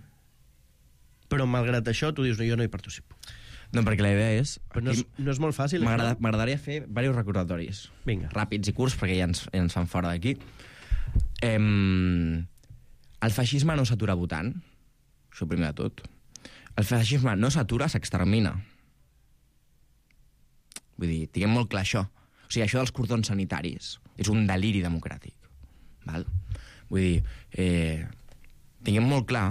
Però malgrat això tu dius, no, jo no hi participo. No, perquè la idea és... Però no és, no és molt fàcil. M'agradaria fer diversos recordatoris. Vinga. Ràpids i curts, perquè ja ens, ja ens fan fora d'aquí. Em... El feixisme no s'atura votant. Això primer de tot. El feixisme no s'atura, s'extermina. Vull dir, tinguem molt clar això. O sigui, això dels cordons sanitaris és un deliri democràtic. Val? Vull dir, eh, tinguem molt clar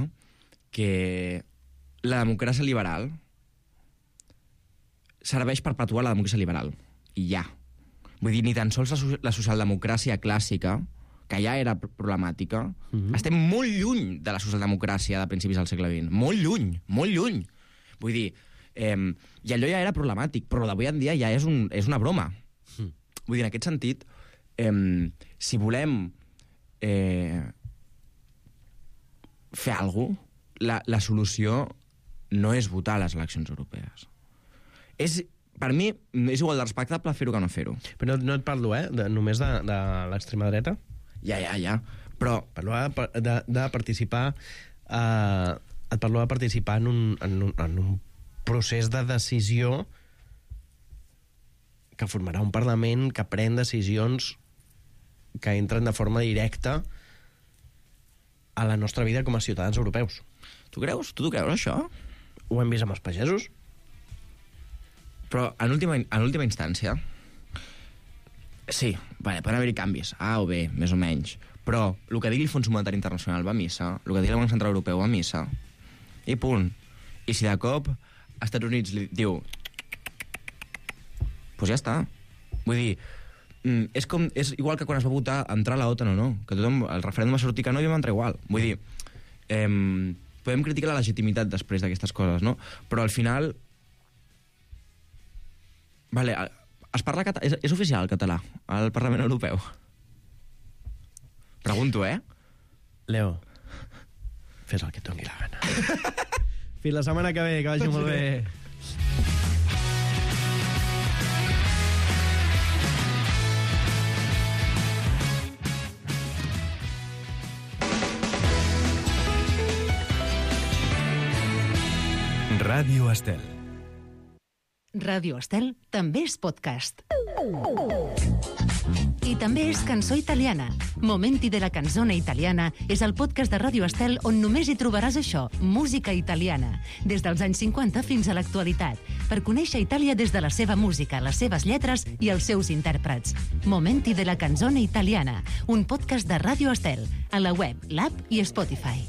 que la democràcia liberal serveix per perpetuar la democràcia liberal. I ja. Vull dir, ni tan sols la, la socialdemocràcia clàssica, que ja era problemàtica, mm-hmm. estem molt lluny de la socialdemocràcia de principis del segle vint. Molt lluny, molt lluny. Vull dir, eh, i allò ja era problemàtic, però d'avui en dia ja és, un, és una broma. Mm. Vull dir, en aquest sentit, eh, si volem eh, fer alguna cosa, la, la solució no és votar a les eleccions europees. És, per mi, és igual de respectable fer-ho que no fer-ho. Però no, no et parlo, eh, de, només de, de l'extrema dreta. Ja, ja, ja. Però... Parlo de, de, de participar... Eh, et parlo de participar en un, en, un, en un procés de decisió que formarà un Parlament que pren decisions que entren de forma directa a la nostra vida com a ciutadans europeus. Tu creus? Tu t'ho creus, això? Ho hem vist amb els pagesos. Però, en última, en última instància, sí, vale, poden haver-hi canvis, A o B, més o menys, però el que digui el Fons Monetari Internacional va a missa, el que digui el Banc Central Europeu va a missa, i punt. I si de cop als Estats Units li diu doncs pues ja està. Vull dir, és, com, és igual que quan es va votar entrar a la OTAN o no, que tothom, el referèndum va sortir que no i vam entrar igual. Vull dir, eh, podem criticar la legitimitat després d'aquestes coses, no? Però al final... Vale, es parla català, és, és oficial el català al Parlament Europeu? Pregunto, eh? Leo, fes el que et doni la gana. Fins la setmana que ve, que vagi molt bé. Ràdio Estel. Ràdio Estel també és podcast. I també és cançó italiana. Momenti de la canzone italiana és el podcast de Ràdio Estel on només hi trobaràs això, música italiana, des dels anys cinquanta fins a l'actualitat, per conèixer Itàlia des de la seva música, les seves lletres i els seus intèrprets. Momenti de la canzone italiana, un podcast de Ràdio Estel, a la web, l'app i Spotify.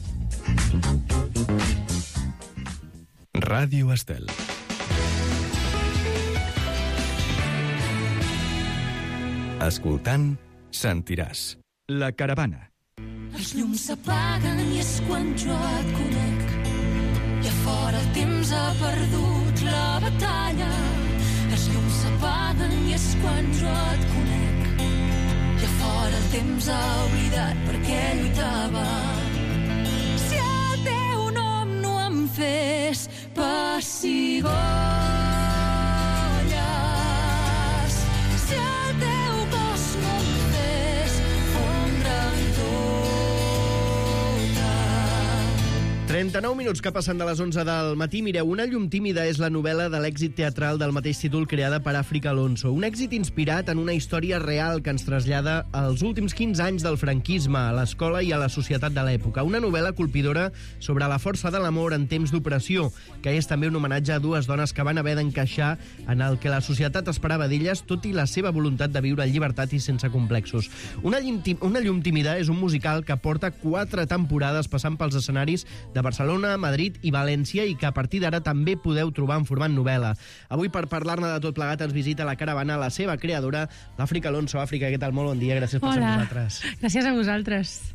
Ràdio Estel. Escoltant, sentiràs. La caravana. Els llums s'apaguen i és quan jo et conec. I a fora el temps ha perdut la batalla. Els llums s'apaguen i és quan jo et conec. I a fora el temps ha oblidat per què lluitava. Si el teu nom no em fes pessigolles, si el teu cos no em fes fondre en tota. trenta-nou minuts que passen de les onze del matí. Mireu, Una llum tímida és la novel·la de l'èxit teatral del mateix títol creada per Àfrica Alonso. Un èxit inspirat en una història real que ens trasllada als últims quinze anys del franquisme, a l'escola i a la societat de l'època. Una novel·la colpidora sobre la força de l'amor en temps d'opressió, que és també un homenatge a dues dones que van haver d'encaixar en el que la societat esperava d'elles, tot i la seva voluntat de viure en llibertat i sense complexos. Una llum, una llum tímida és un musical que porta quatre temporades passant pels escenaris de Barcelona, Madrid i València i que a partir d'ara també podeu trobar en format novel·la. Avui, per parlar-ne de tot plegat, ens visita la caravana la seva creadora, l'Àfrica Alonso. Àfrica, què tal? Molt bon dia, gràcies per ser amb nosaltres. Gràcies a vosaltres.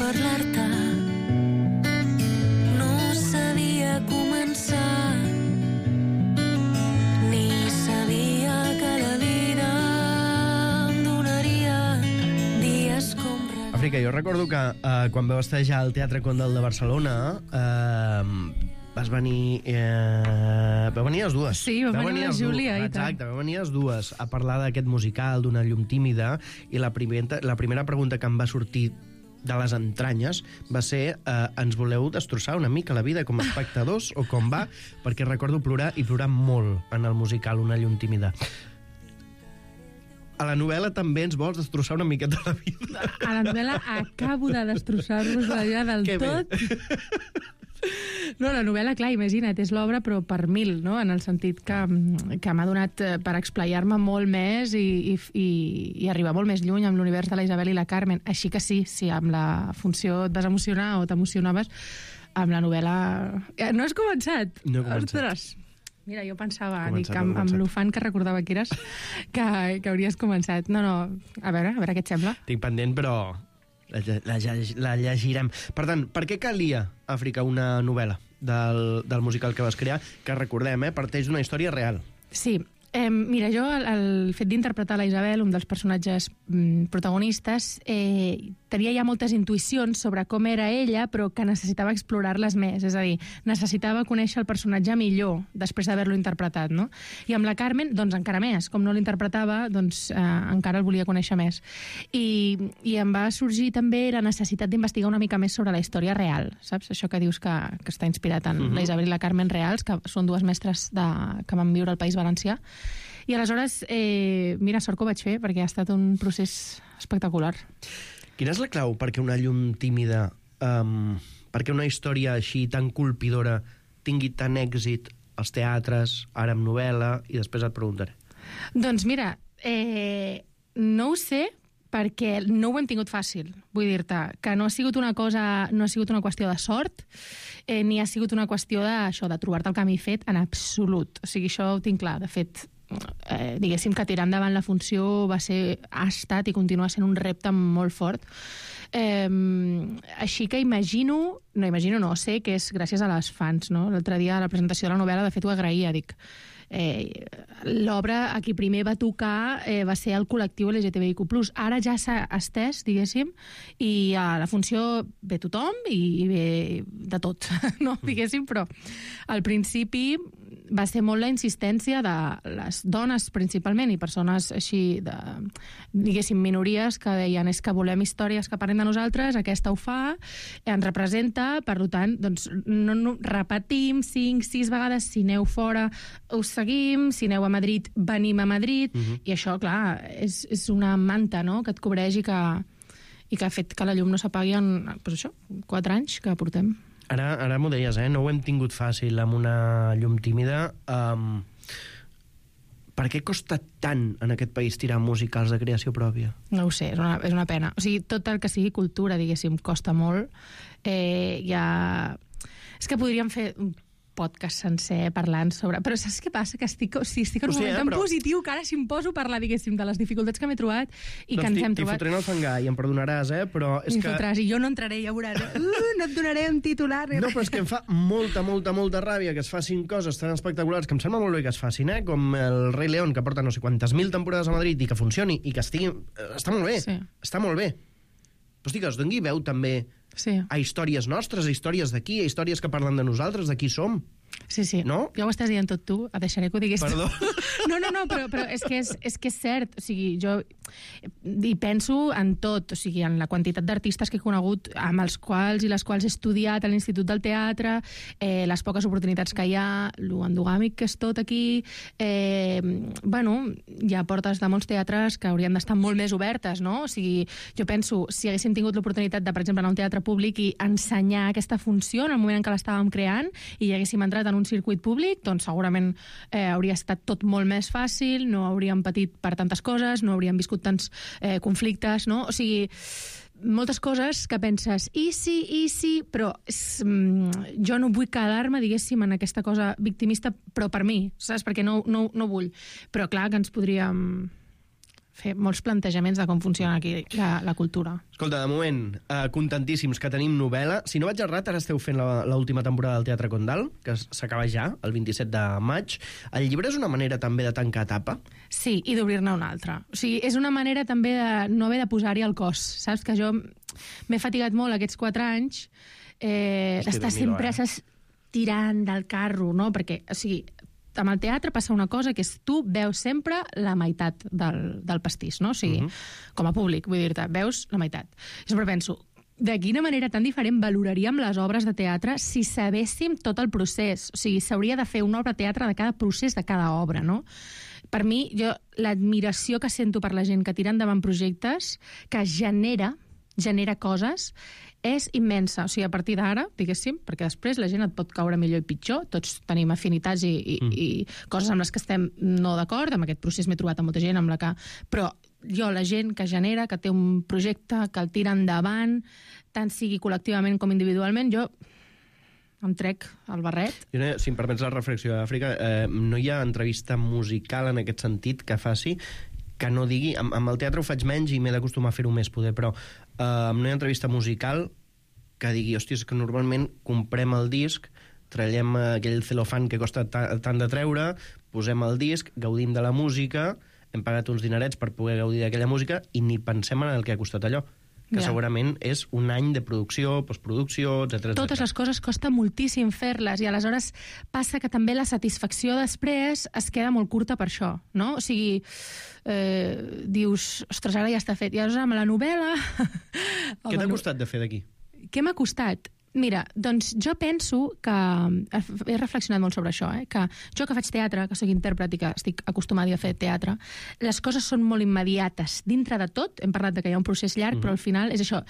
parlar-te. No sabia començar, ni sabia que la vida em donaria dies com regals. Àfrica, jo recordo que eh, quan vau estar ja al Teatre Condal de Barcelona eh, vas venir... Eh, vau venir les dues. Sí, va Vau venir la les du- Júlia, i tant. Exacte, vau venir les dues a parlar d'aquest musical, d'Una llum tímida, i la primera, la primera pregunta que em va sortir de les entranyes va ser eh, ens voleu destrossar una mica la vida com a espectadors o com va? Perquè recordo plorar i plorar molt en el musical Una llum tímida. A la novel·la també ens vols destrossar una miqueta la vida. A la novel·la acabo de destrossar-vos la vida del Que bé. tot. No, la novel·la, clar, imagina't, és l'obra però per mil, no? En el sentit que, que m'ha donat eh, per explayar-me molt més i, i, i, i arribar molt més lluny amb l'univers de la Isabel i la Carmen. Així que sí, si amb la funció et vas emocionar o t'emocionaves, amb la novel·la... Eh, No has començat? No he començat. Ostres. Mira, jo pensava, Començat, dic, amb, no he amb començat. l'ufant que recordava que eres, que, que hauries començat. No, no, a veure, a veure què et sembla. Tinc pendent, però la, la, la llegirem. Per tant, per què calia, Àfrica, una novel·la del, del musical que vas crear, que recordem, eh, parteix d'una història real? Sí. Eh, mira, jo el, el fet d'interpretar la Isabel, un dels personatges mm, protagonistes, eh, tenia ja moltes intuïcions sobre com era ella, però que necessitava explorar-les més. És a dir, necessitava conèixer el personatge millor després d'haver-lo interpretat, no? I amb la Carmen, doncs encara més. Com no l'interpretava, doncs eh, encara el volia conèixer més. I, I em va sorgir també la necessitat d'investigar una mica més sobre la història real, saps? Això que dius que, que està inspirat en Mhm. la Isabel i la Carmen reals, que són dues mestres de, que van viure al País Valencià. I aleshores, eh, mira, sort que ho vaig fer, perquè ha estat un procés espectacular. Quina és la clau perquè una llum tímida, um, perquè una història així tan colpidora tingui tant èxit als teatres, ara amb novel·la, i després et preguntaré. Doncs mira, eh, no ho sé, perquè no ho hem tingut fàcil. Vull dir-te que no ha sigut una cosa, no ha sigut una qüestió de sort, eh, ni ha sigut una qüestió de, això, de trobar-te el camí fet en absolut. O sigui, això ho tinc clar. De fet, eh, diguéssim que tirar endavant la funció va ser, ha estat i continua sent un repte molt fort. Eh, així que imagino, no imagino, no, sé que és gràcies a les fans, no? L'altre dia a la presentació de la novel·la, de fet, ho agraïa, dic, eh, l'obra a qui primer va tocar eh, va ser el col·lectiu L G T B I Q plus. Ara ja s'ha estès, diguéssim, i a la funció ve tothom i, i ve de tot, no? Diguéssim, però al principi va ser molt la insistència de les dones principalment i persones així de, diguéssim, minories que deien és que volem històries que parlin de nosaltres, aquesta ho fa, ens representa, per tant, doncs no, no, repetim cinc, sis vegades, si aneu fora us seguim, si aneu a Madrid venim a Madrid, Mhm. i això, clar, és, és una manta, no?, que et cobreix i que, i que ha fet que la llum no s'apagui en, doncs això, quatre anys que portem. Ara, ara m'ho deies, eh? No ho hem tingut fàcil amb Una llum tímida. Um, per què costa tant en aquest país tirar musicals de creació pròpia? No ho sé, és una, és una pena. O sigui, tot el que sigui cultura, diguéssim, costa molt. Eh, ja... És que podríem fer un podcast sencer parlant sobre... Però saps què passa? Que estic, o sigui, estic en un Ho sé, moment eh, tan però- positiu que ara si em poso a parlar, diguéssim, de les dificultats que m'he trobat i que ens hem T'hi trobat... fotré en el fangar i em perdonaràs, eh? Però és M'hi que... fotràs, i jo no entraré, ja veuràs. Uh, no et donaré un titular. No, però és que em fa molta, molta, molta ràbia que es facin coses tan espectaculars, que em sembla molt bé que es facin, eh? Com el Rei León, que porta no sé quantes mil temporades a Madrid i que funcioni i que estigui... eh, Està molt bé, Sí. està molt bé. Però hosti, que es doni veu també Sí. a històries nostres, a històries d'aquí, a històries que parlen de nosaltres, de qui som. Sí, sí. No? Ja ho estàs dient tot tu, et deixaré que ho diguis Perdó. tu. No, no, no, però, però és, que és, és que és cert. O sigui, jo hi penso en tot, o sigui, en la quantitat d'artistes que he conegut, amb els quals i les quals he estudiat a l'Institut del Teatre, eh, les poques oportunitats que hi ha, lo endogàmic que és tot aquí... Eh, bueno, hi ha portes de molts teatres que haurien d'estar molt més obertes, no? O sigui, jo penso, si haguéssim tingut l'oportunitat de, per exemple, anar a un teatre públic i ensenyar aquesta funció en el moment en què l'estàvem creant i hi haguéssim entrat en un circuit públic, doncs segurament eh, hauria estat tot molt més fàcil, no hauríem patit per tantes coses, no hauríem viscut tants eh, conflictes, no? O sigui, moltes coses que penses, i sí, i sí, però és, mm, jo no vull quedar-me, diguéssim, en aquesta cosa victimista, però per mi, saps? Perquè no, no, no vull. Però clar que ens podríem fer molts plantejaments de com funciona aquí la, la cultura. Escolta, de moment, eh, contentíssims que tenim novel·la. Si no vaig errat, ara esteu fent l'última temporada del Teatre Condal, que s'acaba ja, el vint-i-set de maig. El llibre és una manera també de tancar etapa? Sí, i d'obrir-ne una altra. O sigui, és una manera també de no haver de posar-hi el cos. Saps que jo m'he fatigat molt aquests quatre anys eh, d'estar sempre eh? tirant del carro, no? Perquè, o sigui, amb el teatre passa una cosa que és tu veus sempre la meitat del, del pastís, no? O sigui, uh -huh. com a públic, vull dir-te, veus la meitat. I sempre penso, de quina manera tan diferent valoraríem les obres de teatre si sabéssim tot el procés? O sigui, s'hauria de fer una obra de teatre de cada procés de cada obra, no? Per mi, jo, l'admiració que sento per la gent que tira endavant projectes, que genera, genera coses, és immensa. O sigui, a partir d'ara, diguéssim, perquè després la gent et pot caure millor i pitjor, tots tenim afinitats i, i, mm. i coses amb les que estem no d'acord, amb aquest procés m'he trobat amb molta gent amb la que... Però jo, la gent que genera, que té un projecte, que el tira endavant, tant sigui col·lectivament com individualment, jo em trec el barret. Jo, si em permets la reflexió d'Àfrica, eh, no hi ha entrevista musical en aquest sentit que faci que no digui... Amb, amb el teatre ho faig menys i m'he d'acostumar a fer-ho més, poder, però eh, no hi ha entrevista musical que digui, hòstia, és que normalment comprem el disc, trallem aquell celofan que costa tant de treure, posem el disc, gaudim de la música, hem pagat uns dinerets per poder gaudir d'aquella música i ni pensem en el que ha costat allò, que ja. segurament és un any de producció, postproducció, etcètera. Totes les coses costa moltíssim fer-les i aleshores passa que també la satisfacció després es queda molt curta per això, no? O sigui, eh, dius, ostres, ara ja està fet. I aleshores amb la novel·la... Què t'ha costat de fer d'aquí? Què m'ha costat? Mira, doncs jo penso que... He reflexionat molt sobre això, eh? Que jo que faig teatre, que soc intèrpret i que estic acostumada a fer teatre, les coses són molt immediates. Dintre de tot, hem parlat de que hi ha un procés llarg, mm-hmm. però al final és això...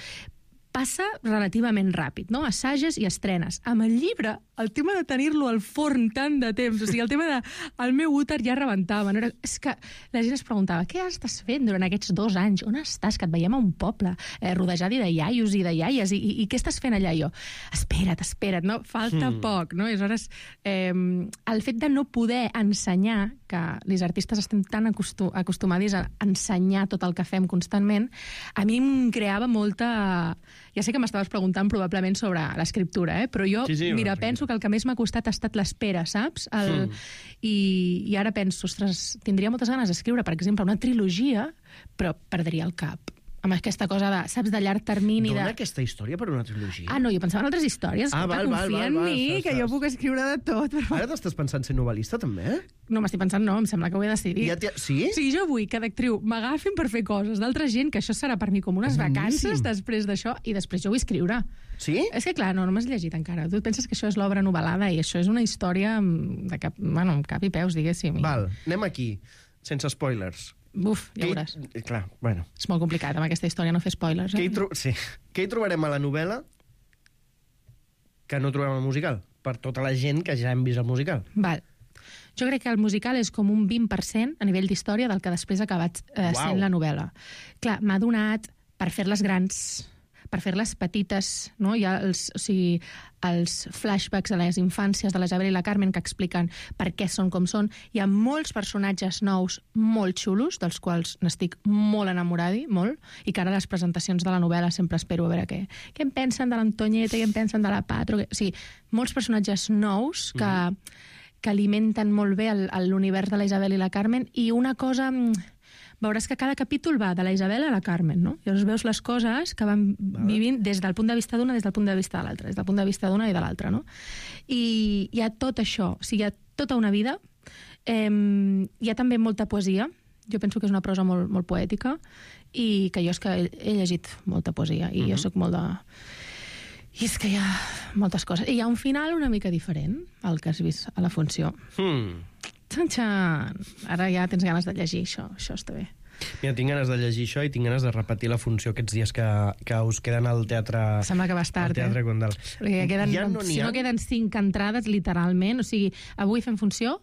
Passa relativament ràpid, no? Assages i estrenes. Amb el llibre, el tema de tenir-lo al forn tant de temps, o sigui, el tema de... El meu úter ja rebentava. No era... És que la gent es preguntava, què estàs fent durant aquests dos anys? On estàs? Que et veiem a un poble, eh, rodejat de iaios i de iaies, i, i, i què estàs fent allà? Jo, espera't, espera't, no? Falta mm. poc, no? I aleshores, eh, el fet de no poder ensenyar, que els artistes estem tan acostum acostumats a ensenyar tot el que fem constantment, a mi em creava molta... Ja sé que m'estaves preguntant probablement sobre l'escriptura, eh? Però jo, sí, sí, mira, penso que el que més m'ha costat ha estat l'espera, saps? El... Mm. I, I ara penso, ostres, tindria moltes ganes d'escriure, per exemple, una trilogia, però perdria el cap. Amb aquesta cosa de, saps, de llarg termini... Dona de... aquesta història per una trilogia? Ah, no, jo pensava en altres històries. Ah, val, val, confia val, en val, mi, val, que val. jo puc escriure de tot. Però... Ara t'estàs pensant ser novel·lista, també? No, m'estic pensant, no, em sembla que ho he decidit. Ja sí? O sigui, jo vull que d'actriu m'agafin per fer coses d'altra gent, que això serà per mi com unes vacances després d'això, i després jo vull escriure. Sí? És que, clar, no, no m'has llegit encara. Tu et penses que això és l'obra novel·lada i això és una història de cap, bueno, amb cap i peus, diguéssim. Val, anem aquí, sense spoilers. Buf, ja Què veuràs. Hi... Clar, bueno. És molt complicat, amb aquesta història, no fer spoilers. Eh? Què hi, tro... sí. Què hi trobarem a la novel·la que no trobem al musical? Per tota la gent que ja hem vist el musical. Val. Jo crec que el musical és com un vint per cent a nivell d'història del que després ha acabat eh, sent la novel·la. Clar, m'ha donat per fer-les grans, per fer-les petites, no? Hi ha els, o sigui, els flashbacks a les infàncies de la Isabel i la Carmen que expliquen per què són com són. Hi ha molts personatges nous molt xulos, dels quals n'estic molt enamorada, molt, i que ara les presentacions de la novel·la sempre espero a veure què, què en pensen de l'Antonieta, què en pensen de la Patro... Que... O sigui, molts personatges nous que, mm. que alimenten molt bé l'univers de la Isabel i la Carmen, i una cosa... Veuràs que cada capítol va de la Isabel a la Carmen, no? I llavors veus les coses que van vale. vivint des del punt de vista d'una, des del punt de vista de l'altra, des del punt de vista d'una i de l'altra, no? I hi ha tot això, o sigui, hi ha tota una vida, eh, hi ha també molta poesia, jo penso que és una prosa molt, molt poètica, i que jo és que he, he llegit molta poesia, i uh-huh. jo sóc molt de... I és que hi ha moltes coses. I hi ha un final una mica diferent al que has vist a la funció. Hmm. Txan-txan! Ara ja tens ganes de llegir això, això està bé. Mira, tinc ganes de llegir això i tinc ganes de repetir la funció aquests dies que, que us queden al teatre... Sembla que vas tard, teatre eh? Condal. Perquè queden, ja no si no queden cinc entrades, literalment, o sigui, avui fem funció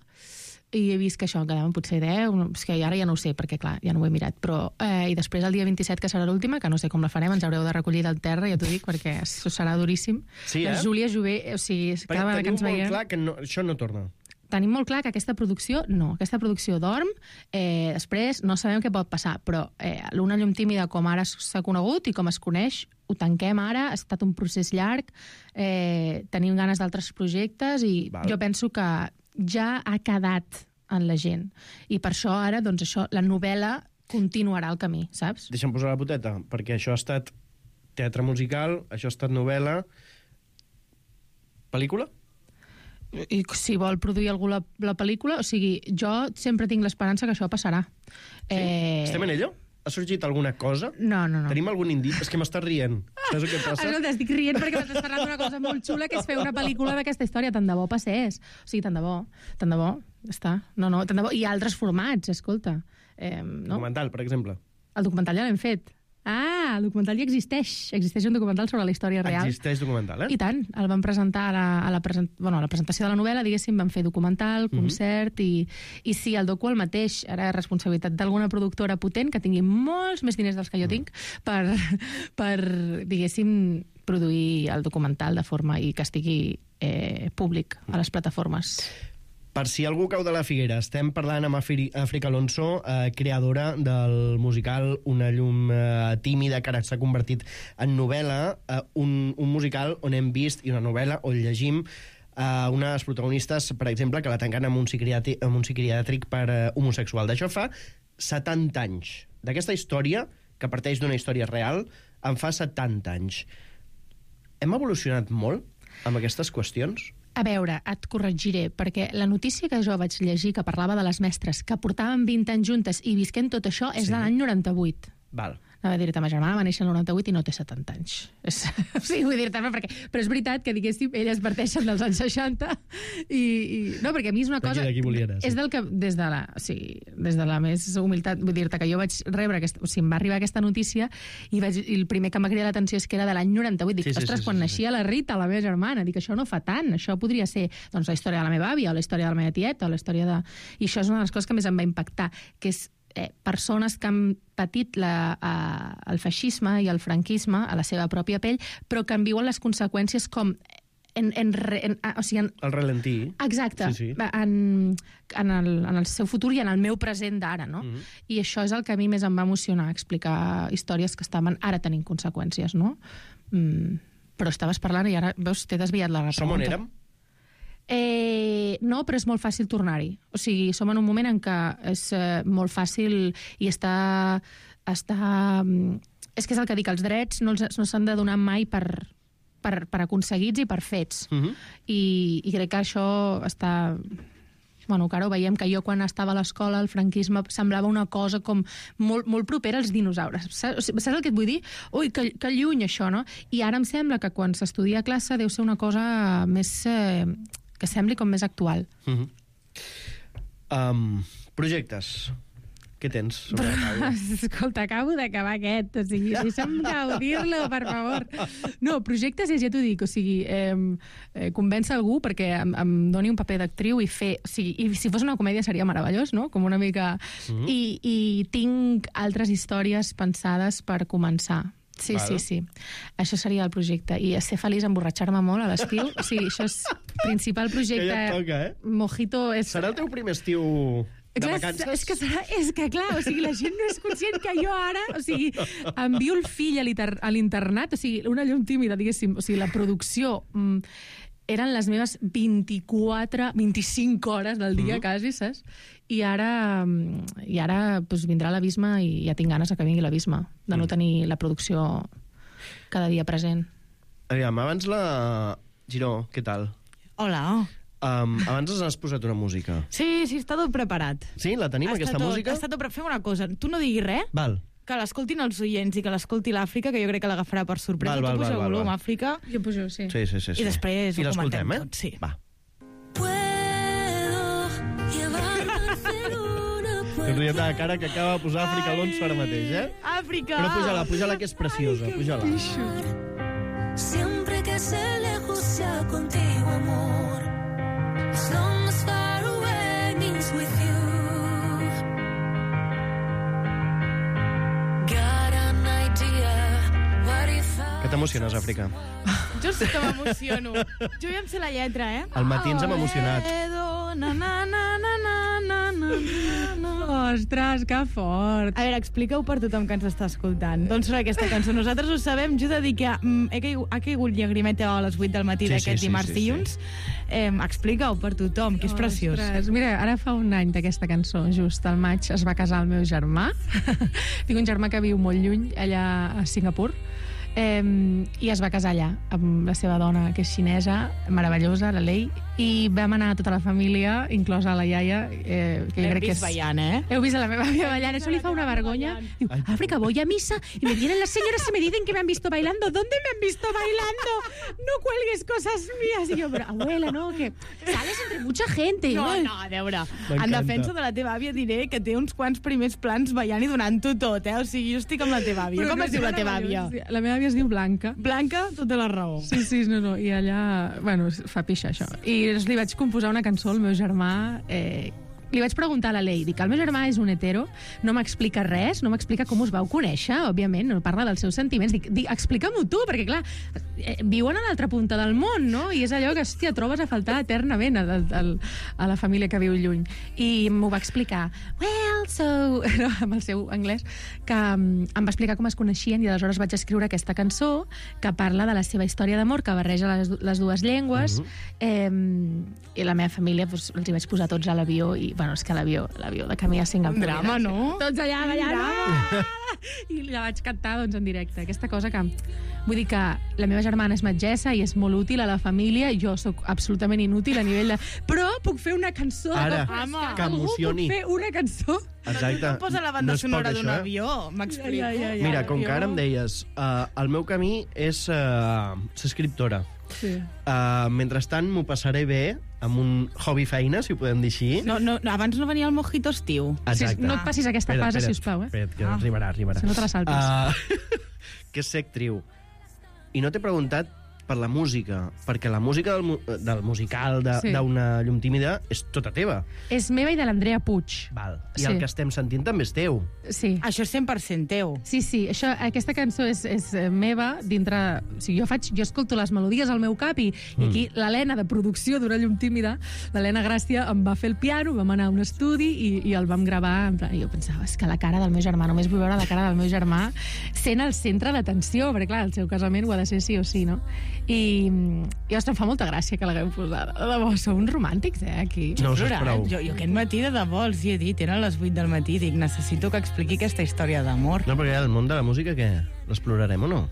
i he vist que això en quedaven potser deu, és que ara ja no ho sé, perquè clar, ja no ho he mirat, però eh, i després el dia vint-i-set, que serà l'última, que no sé com la farem, ens haureu de recollir del terra, ja t'ho dic, perquè això serà duríssim. Sí, eh? La Júlia Jové, o sigui, perquè cada vegada que ens veiem... Clar que no, això no torna. tenim molt clar que aquesta producció, no, aquesta producció dorm, eh, després no sabem què pot passar, però eh, l'Una llum tímida, com ara s'ha conegut i com es coneix, ho tanquem ara, ha estat un procés llarg, eh, tenim ganes d'altres projectes i Val. jo penso que ja ha quedat en la gent. I per això ara, doncs això, la novel·la continuarà el camí, saps? Deixa'm posar la poteta, perquè això ha estat teatre musical, això ha estat novel·la... Pel·lícula? I si vol produir algú la, la pel·lícula, o sigui, jo sempre tinc l'esperança que això passarà. Sí? Eh... Estem en ello? Ha sorgit alguna cosa? No, no, no. Tenim algun indici? És que m'estàs rient. Saps el que passa? Escolta, estic rient perquè m'estàs parlant d'una cosa molt xula, que és fer una pel·lícula d'aquesta història. Tant de bo passés. O sigui, tant de bo. Tant de bo. Està. No, no, tant de bo. I altres formats, escolta. Eh, no? Documental, per exemple. El documental ja l'hem fet. Ah, el documental ja existeix. Existeix un documental sobre la història real. Existeix documental, eh? I tant. El vam presentar a la, a la, present... bueno, a la presentació de la novel·la, diguéssim, vam fer documental, concert, mm-hmm. i, i sí, el docu el mateix. Ara és responsabilitat d'alguna productora potent que tingui molts més diners dels que jo tinc per, per diguéssim, produir el documental de forma i que estigui eh, públic a les plataformes. Per si algú cau de la figuera, estem parlant amb Àfrica Alonso, eh, creadora del musical Una llum eh, tímida, que ara s'ha convertit en novel·la, eh, un, un musical on hem vist, i una novel·la on llegim eh, una de les protagonistes, per exemple, que la tanquen en un psiquiàtric, en un psiquiàtric per eh, homosexual. D'això fa setanta anys. D'aquesta història, que parteix d'una història real, en fa setanta anys. Hem evolucionat molt amb aquestes qüestions? A veure, et corregiré, perquè la notícia que jo vaig llegir, que parlava de les mestres que portaven vint anys juntes i visquent tot això, és sí. de l'any noranta-vuit. Val. Anava a dir-te, ma germana va néixer el noranta-vuit i no té setanta anys. És, sí, vull dir-te, perquè... Però és veritat que, diguéssim, elles parteixen dels anys seixanta i... i no, perquè a mi és una cosa... D'aquí volia anar, sí. És del que, des de la... O sigui, des de la més humilitat, vull dir-te que jo vaig rebre aquesta... O sigui, em va arribar aquesta notícia i, vaig, i el primer que m'ha cridat l'atenció és que era de l'any noranta-vuit. Dic, sí, sí, ostres, sí, sí, quan sí, naixia sí. la Rita, la meva germana, dic, això no fa tant, això podria ser doncs, la història de la meva àvia, o la història de la meva tieta, o la història de... I això és una de les coses que més em va impactar, que és Eh, persones que han patit la, eh, el feixisme i el franquisme a la seva pròpia pell, però que en viuen les conseqüències com en, en, en, o sigui, en... el ralentí. Exacte, sí, sí. En, en, el, en el seu futur i en el meu present d'ara, no? Mm-hmm. I això és el que a mi més em va emocionar, explicar històries que estaven ara tenint conseqüències, no? Mm, però estaves parlant i ara, veus, t'he desviat la pregunta. Som on érem? Eh, no, però és molt fàcil tornar-hi. O sigui, som en un moment en què és eh, molt fàcil i està, està... És que és el que dic, els drets no, els, no s'han de donar mai per, per, per aconseguits i per fets. Uh-huh. I, I crec que això està... Bueno, clar, veiem que jo quan estava a l'escola el franquisme semblava una cosa com molt, molt propera als dinosaures. Saps, saps el que et vull dir? Ui, que, que lluny això, no? I ara em sembla que quan s'estudia a classe deu ser una cosa més... Eh, que sembli com més actual. Uh-huh. um, projectes. Què tens sobre la taula? Escolta, acabo d'acabar aquest. O sigui, deixa'm gaudir-lo, per favor. No, projectes, ja t'ho dic, o sigui, eh, eh, convèncer algú perquè em, em doni un paper d'actriu i fer... O sigui, i si fos una comèdia seria meravellós, no? Com una mica... Uh-huh. I, I tinc altres històries pensades per començar. Sí, vale. sí, sí. Això seria el projecte. I ser feliç, emborratxar-me molt a l'estiu. O sigui, això és principal projecte. Que ja et toca, eh? Mojito és... Serà el teu primer estiu de clar, vacances? És que, serà, és que, clar, o sigui, la gent no és conscient que jo ara... O sigui, envio el fill a l'internat, o sigui, una llum tímida, diguéssim. O sigui, la producció... Mm, eren les meves vint-i-quatre, vint-i-cinc hores del dia, uh-huh. quasi, saps? I ara, i ara pues, vindrà l'abisme i ja tinc ganes que vingui l'abisme, de no tenir la producció cada dia present. Aviam, abans la... Giró, què tal? Hola. Um, abans has posat una música. Sí, sí, està tot preparat. Sí? La tenim, està aquesta tot, música? Està tot preparat. Fem una cosa, tu no diguis res. Val. Que l'escoltin els oients i que l'escolti l'Àfrica, que jo crec que l'agafarà per sorpresa. Val, val, tu puja val, volum, val. Àfrica. Jo pujo, sí. Sí, sí, sí, sí. I després I ho comentem eh? tot. Sí. Va. Puedo riem de la cara que acaba de posar Àfrica Alonso ara mateix, eh? Àfrica! Però puja-la, puja-la, que és preciosa, puja-la. Siempre que se lejos sea contigo, amor. As long as far away means with you. Got an idea. What if I... Que t'emociones, Àfrica? Jo sí que m'emociono. Jo ja em sé la lletra, eh? Al matí ens hem emocionat. Puedo na, na, na, na, na, na, na, na. Ostres, que fort. A veure, explica-ho per tothom que ens està escoltant. D'on surt aquesta cançó? Nosaltres ho sabem, jo he de dir que mm, he, caigut, ha caigut llagrimeta a les vuit del matí Sí, d'aquest sí, sí, dimarts sí, sí. dilluns. Eh, explica-ho per tothom, que és preciós. Ostres, mira, ara fa un any d'aquesta cançó, just al maig es va casar el meu germà. Tinc un germà que viu molt lluny, allà a Singapur, eh, i es va casar allà amb la seva dona, que és xinesa, meravellosa, la Lei, i vam anar tota la família, inclosa la iaia, eh, que jo L'hem crec que vist és... ballant, eh? Heu vist a la meva àvia ballant, eso li fa una vergonya. Diu, África, voy a misa y me vienen las señoras y me dicen que me han visto bailando. ¿Dónde me han visto bailando? No cuelgues cosas mías. Y yo, pero abuela, no, que sales entre mucha gente. No, no, a veure, en defensa de la teva àvia diré que té uns quants primers plans ballant i donant-ho tot, eh? O sigui, jo estic amb la teva àvia. Però Com no es diu la teva àvia? La meva àvia es diu Blanca. Blanca, tota la raó. Sí, sí, no, no, i allà, bueno, fa pixa, això. I li vaig composar una cançó al meu germà, eh, li vaig preguntar a la Lei, dic, el meu germà és un hetero, no m'explica res, no m'explica com us vau conèixer, òbviament, no parla dels seus sentiments, dic, dic explica-m'ho tu, perquè clar, eh, viuen a l'altra punta del món, no? I és allò que, hòstia, trobes a faltar eternament a, a, a la família que viu lluny. I m'ho va explicar, well, so... No, amb el seu anglès, que um, em va explicar com es coneixien i aleshores vaig escriure aquesta cançó que parla de la seva història d'amor, que barreja les, les dues llengües, uh-huh. eh, i la meva família doncs, els hi vaig posar tots a l'avió i bueno, és que l'avió, l'avió de camí a Singapur. Un drama, no? Tots allà ballant. I la vaig cantar doncs, en directe. Aquesta cosa que... Vull dir que la meva germana és metgessa i és molt útil a la família, i jo sóc absolutament inútil a nivell de... Però puc fer una cançó. Ara, de... que emocioni. Algú puc fer una cançó. Exacte. No posa la banda No és sonora poc, d'un això, eh? avió, m'explico. Ja, ja, ja. Mira, com que ara em deies, uh, el meu camí és uh, ser escriptora. Sí. Uh, mentrestant m'ho passaré bé amb un hobby feina, si ho podem dir així. No, no, abans no venia el mojito estiu. Exacte. Sí, no et passis aquesta Espera't, fase, espera't, sisplau, eh? Espera't, que Ah. arribarà, arribarà. Si no te la saltes. Uh, que és ser actriu. I no t'he preguntat per la música, perquè la música del, mu del musical d'una Sí. de, llum tímida és tota teva. És meva i de l'Andrea Puig. Val. I Sí. el que estem sentint també és teu. Sí. Això és cent per cent teu. Sí, sí, això, aquesta cançó és, és eh, meva dintre... O sigui, jo, faig, jo escolto les melodies al meu cap i, mm. i aquí l'Helena, de producció d'Una llum tímida, l'Helena Gràcia em va fer el piano, vam anar a un estudi i, i el vam gravar. En plan, i jo pensava, és que la cara del meu germà, només vull veure la cara del meu germà sent el centre d'atenció, perquè clar, el seu casament ho ha de ser sí o sí, no? I, i ostres, em fa molta gràcia que l'haguem posat. De debò, sou uns romàntics, eh, aquí. No, això és Plorat. prou. Jo, jo aquest matí de debò els hi he dit, eren les vuit del matí, dic, necessito que expliqui aquesta història d'amor. No, perquè el món de la música, què? L'explorarem o no?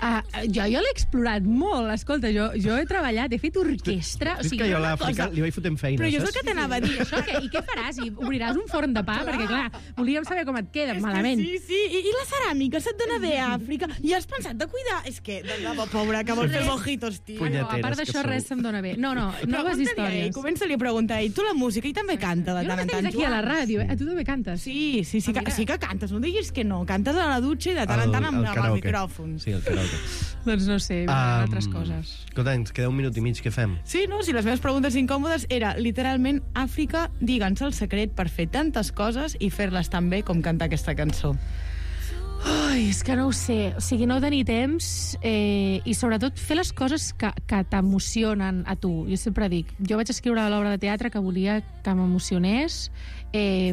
Ah, jo jo l'he explorat molt, escolta, jo, jo he treballat, he fet orquestra... És que jo a una l'Àfrica cosa- li vaig fotent feina, Però jo és el saps? que t'anava a dir, això, que, i què faràs? I obriràs un forn de pa? Perquè, clar, volíem saber com et queda, És que malament. Sí, sí, I, i la ceràmica se't dona bé a Àfrica. I has pensat de cuidar? És que, de debò, pobra, que vol fer mojitos, tio. No, a part d'això, res se'm dona bé. No, no, noves històries. Comença-li a preguntar, i tu la música, i també canta de Jo tant no en tant, tens aquí a la ràdio, eh? Tu també cantes? Sí, sí, sí, que, sí que cantes, no diguis que no. Cantes a la dutxa i de tant en tant amb, El- el amb el karaoke. micròfon. Sí, el karaoke. Doncs no sé, um, Um, altres coses. Escolta, ens queda un minut i mig, què fem? Sí, no? Si les meves preguntes incòmodes era, literalment, Àfrica, digue'ns el secret per fer tantes coses i fer-les tan bé com cantar aquesta cançó. Ai, és que no ho sé. O sigui, no tenir temps eh, i sobretot fer les coses que, que t'emocionen a tu. Jo sempre dic, jo vaig escriure l'obra de teatre que volia que m'emocionés eh,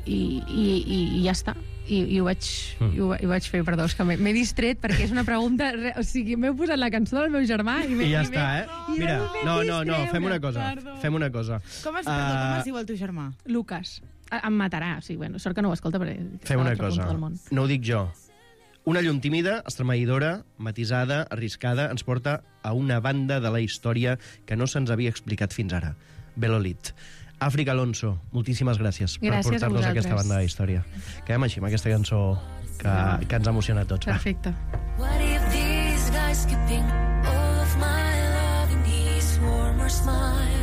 i, i, i, i ja està. I, i, ho vaig, mm. i, ho, i ho vaig fer, perdó, és que m'he m'he distret perquè és una pregunta... re- O sigui, m'heu posat la cançó del meu germà i, I ja i està, eh? i Mira, m'he no, no, no, distret, fem una cosa. Perdó. Fem una cosa. Com es, perdó, com Ah, es diu el teu germà? Lucas, a- em matarà. O sigui, bueno, sort que no ho escolta perquè està Fem a una l'altra punta cosa. del món. No ho dic jo. Una llum tímida, estremeixidora, matisada, arriscada, ens porta a una banda de la història que no se'ns havia explicat fins ara. Belolit. Àfrica Alonso, moltíssimes gràcies, Gràcies a per portar-nos vosaltres. aquesta banda de història. Quedem així amb aquesta cançó que, que ens emociona a tots. Va. Perfecte. What if these guys skipping all of my love in these warmer smiles?